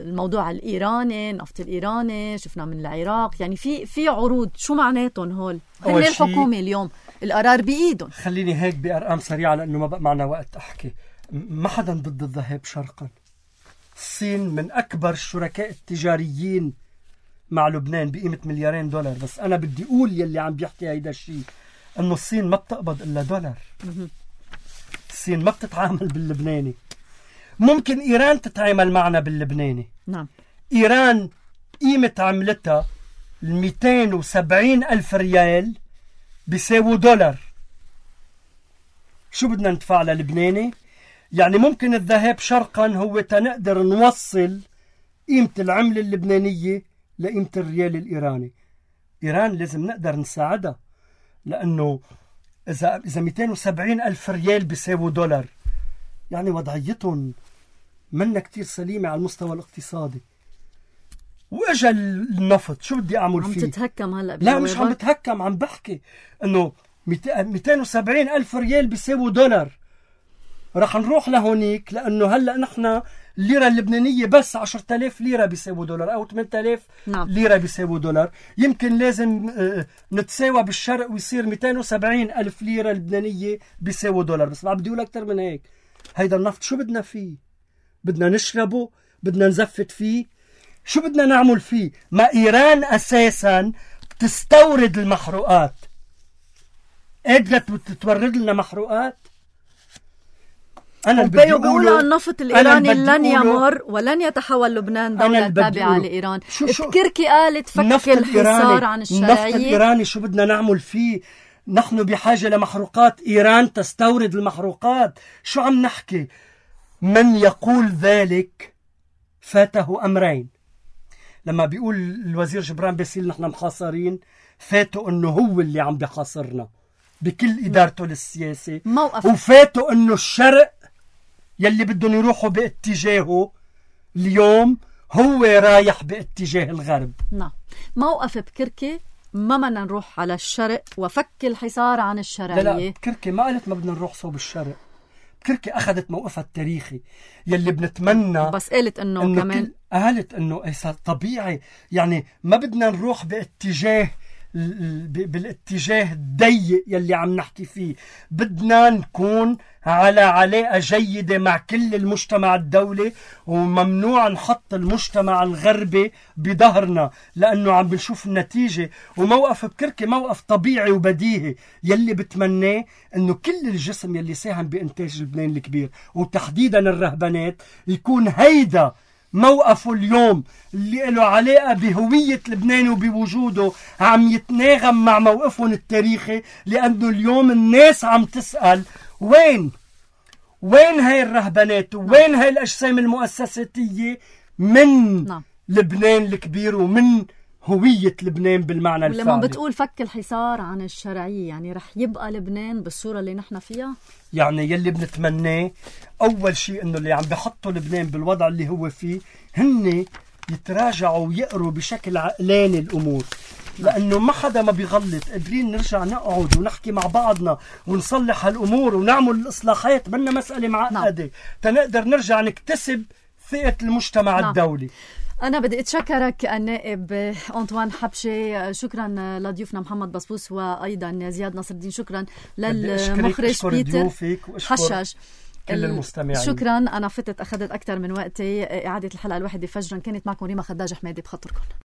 الموضوع الإيراني، النفط الإيراني شفنا من العراق، يعني في في عروض. شو معناتهم هول؟ هن الحكومة اليوم القرار بإيدهم. خليني هيك بأرقام سريعة لأنه ما بقى معنا وقت أحكي. ما حدا ضد الذهاب شرقا. الصين من أكبر الشركاء التجاريين مع لبنان بقيمة مليارين دولار، بس أنا بدي أقول يلي عم بيحكي هيدا الشيء أنه الصين ما بتقبض إلا دولار. الصين ما بتتعامل باللبناني. ممكن إيران تتعامل معنا باللبناني. نعم. إيران قيمة عملتها الميتين وسبعين ألف ريال بيساووا دولار. شو بدنا ندفع للبناني؟ يعني ممكن الذهاب شرقا هو تنقدر نوصل قيمة العملة اللبنانية لقيمة الريال الإيراني. إيران لازم نقدر نساعدها، لأنه إذا إذا ميتين وسبعين ألف ريال بيساووا دولار، يعني وضعيتهم منا كتير سليمة على المستوى الاقتصادي. وإجا النفط، شو بدي أعمل فيه؟ عم تتهكم هلأ؟ لا مش عم بتهكم، عم بحكي إنه ميتين وسبعين ألف ريال بيساووا دولار. رح نروح لهونيك، لأنه هلأ نحن الليرة اللبنانية بس عشرة آلاف ليرة بيساووا دولار أو ثمانية آلاف نعم. ليرة بيساووا دولار. يمكن لازم نتساوى بالشرق ويصير ميتين وسبعين ألف ليرة لبنانية بيساووا دولار. بس ما بدي أقول أكتر من هيك. هيدا النفط شو بدنا فيه؟ بدنا نشربه؟ بدنا نزفت فيه؟ شو بدنا نعمل فيه؟ ما إيران أساسا تستورد المحروقات، قادرة تورد لنا محروقات. أنا اللي بدي بيقولوا النفط الإيراني لن يمر ولن يتحول لبنان دولة تابعة لإيران. كركي قالت فك الحصار عن الشرعية. النفط الإيراني شو بدنا نعمل فيه؟ نحن بحاجة لمحروقات، إيران تستورد المحروقات. شو عم نحكي؟ من يقول ذلك فاته أمرين. لما بيقول الوزير جبران باسيل نحن محاصرين، فاته أنه هو اللي عم بحاصرنا بكل إدارته للسياسة، وفاته أنه الشرق يلي بدهم يروحوا باتجاهه اليوم هو رايح باتجاه الغرب. نعم، موقف بكركي ما بدنا نروح على الشرق وفك الحصار عن الشرعية. لا لا، كركي ما قالت ما بدنا نروح صوب الشرق. كركي أخذت موقفها التاريخي يلي بنتمنى، بس قالت إنه, إنه كمان قالت إنه طبيعي، يعني ما بدنا نروح باتجاه بالاتجاه الضيق يلي عم نحكي فيه. بدنا نكون على علاقة جيدة مع كل المجتمع الدولي، وممنوع نحط المجتمع الغربي بظهرنا لأنه عم بنشوف النتيجة. وموقف بكركي موقف طبيعي وبديهي يلي بتمناه أنه كل الجسم يلي ساهم بإنتاج لبنان الكبير وتحديدا الرهبانات يكون هيدا موقفه اليوم اللي له علاقة بهوية لبنان وبوجوده عم يتناغم مع موقفهم التاريخي. لأنه اليوم الناس عم تسأل وين وين هاي الرهبانات وين هاي الأجسام المؤسساتية من نعم. لبنان الكبير ومن هوية لبنان بالمعنى الفعلي. لما بتقول فك الحصار عن الشرعية يعني رح يبقى لبنان بالصورة اللي نحن فيها؟ يعني يلي بنتمناه أول شيء إنه اللي عم بيحطوا لبنان بالوضع اللي هو فيه هن يتراجعوا ويقروا بشكل عقلاني الأمور، لأنه ما حدا ما بيغلط. قادرين نرجع نقعد ونحكي مع بعضنا ونصلح هالأمور ونعمل الإصلاحات، منا مسألة معقدة نعم. تنقدر نرجع نكتسب ثقة المجتمع نعم. الدولي. أنا بدي أتشكرك النائب أنطوان حبشي، شكرا لضيوفنا محمد بسبوس وأيضا زياد نصر الدين، شكرا للمخرج بيتر حشاش، كل المستمعين شكرا. أنا فتت أخذت أكثر من وقتي. إعادة الحلقة الواحدة فجرا كانت معكم ريما خداج حمادي بخطركم.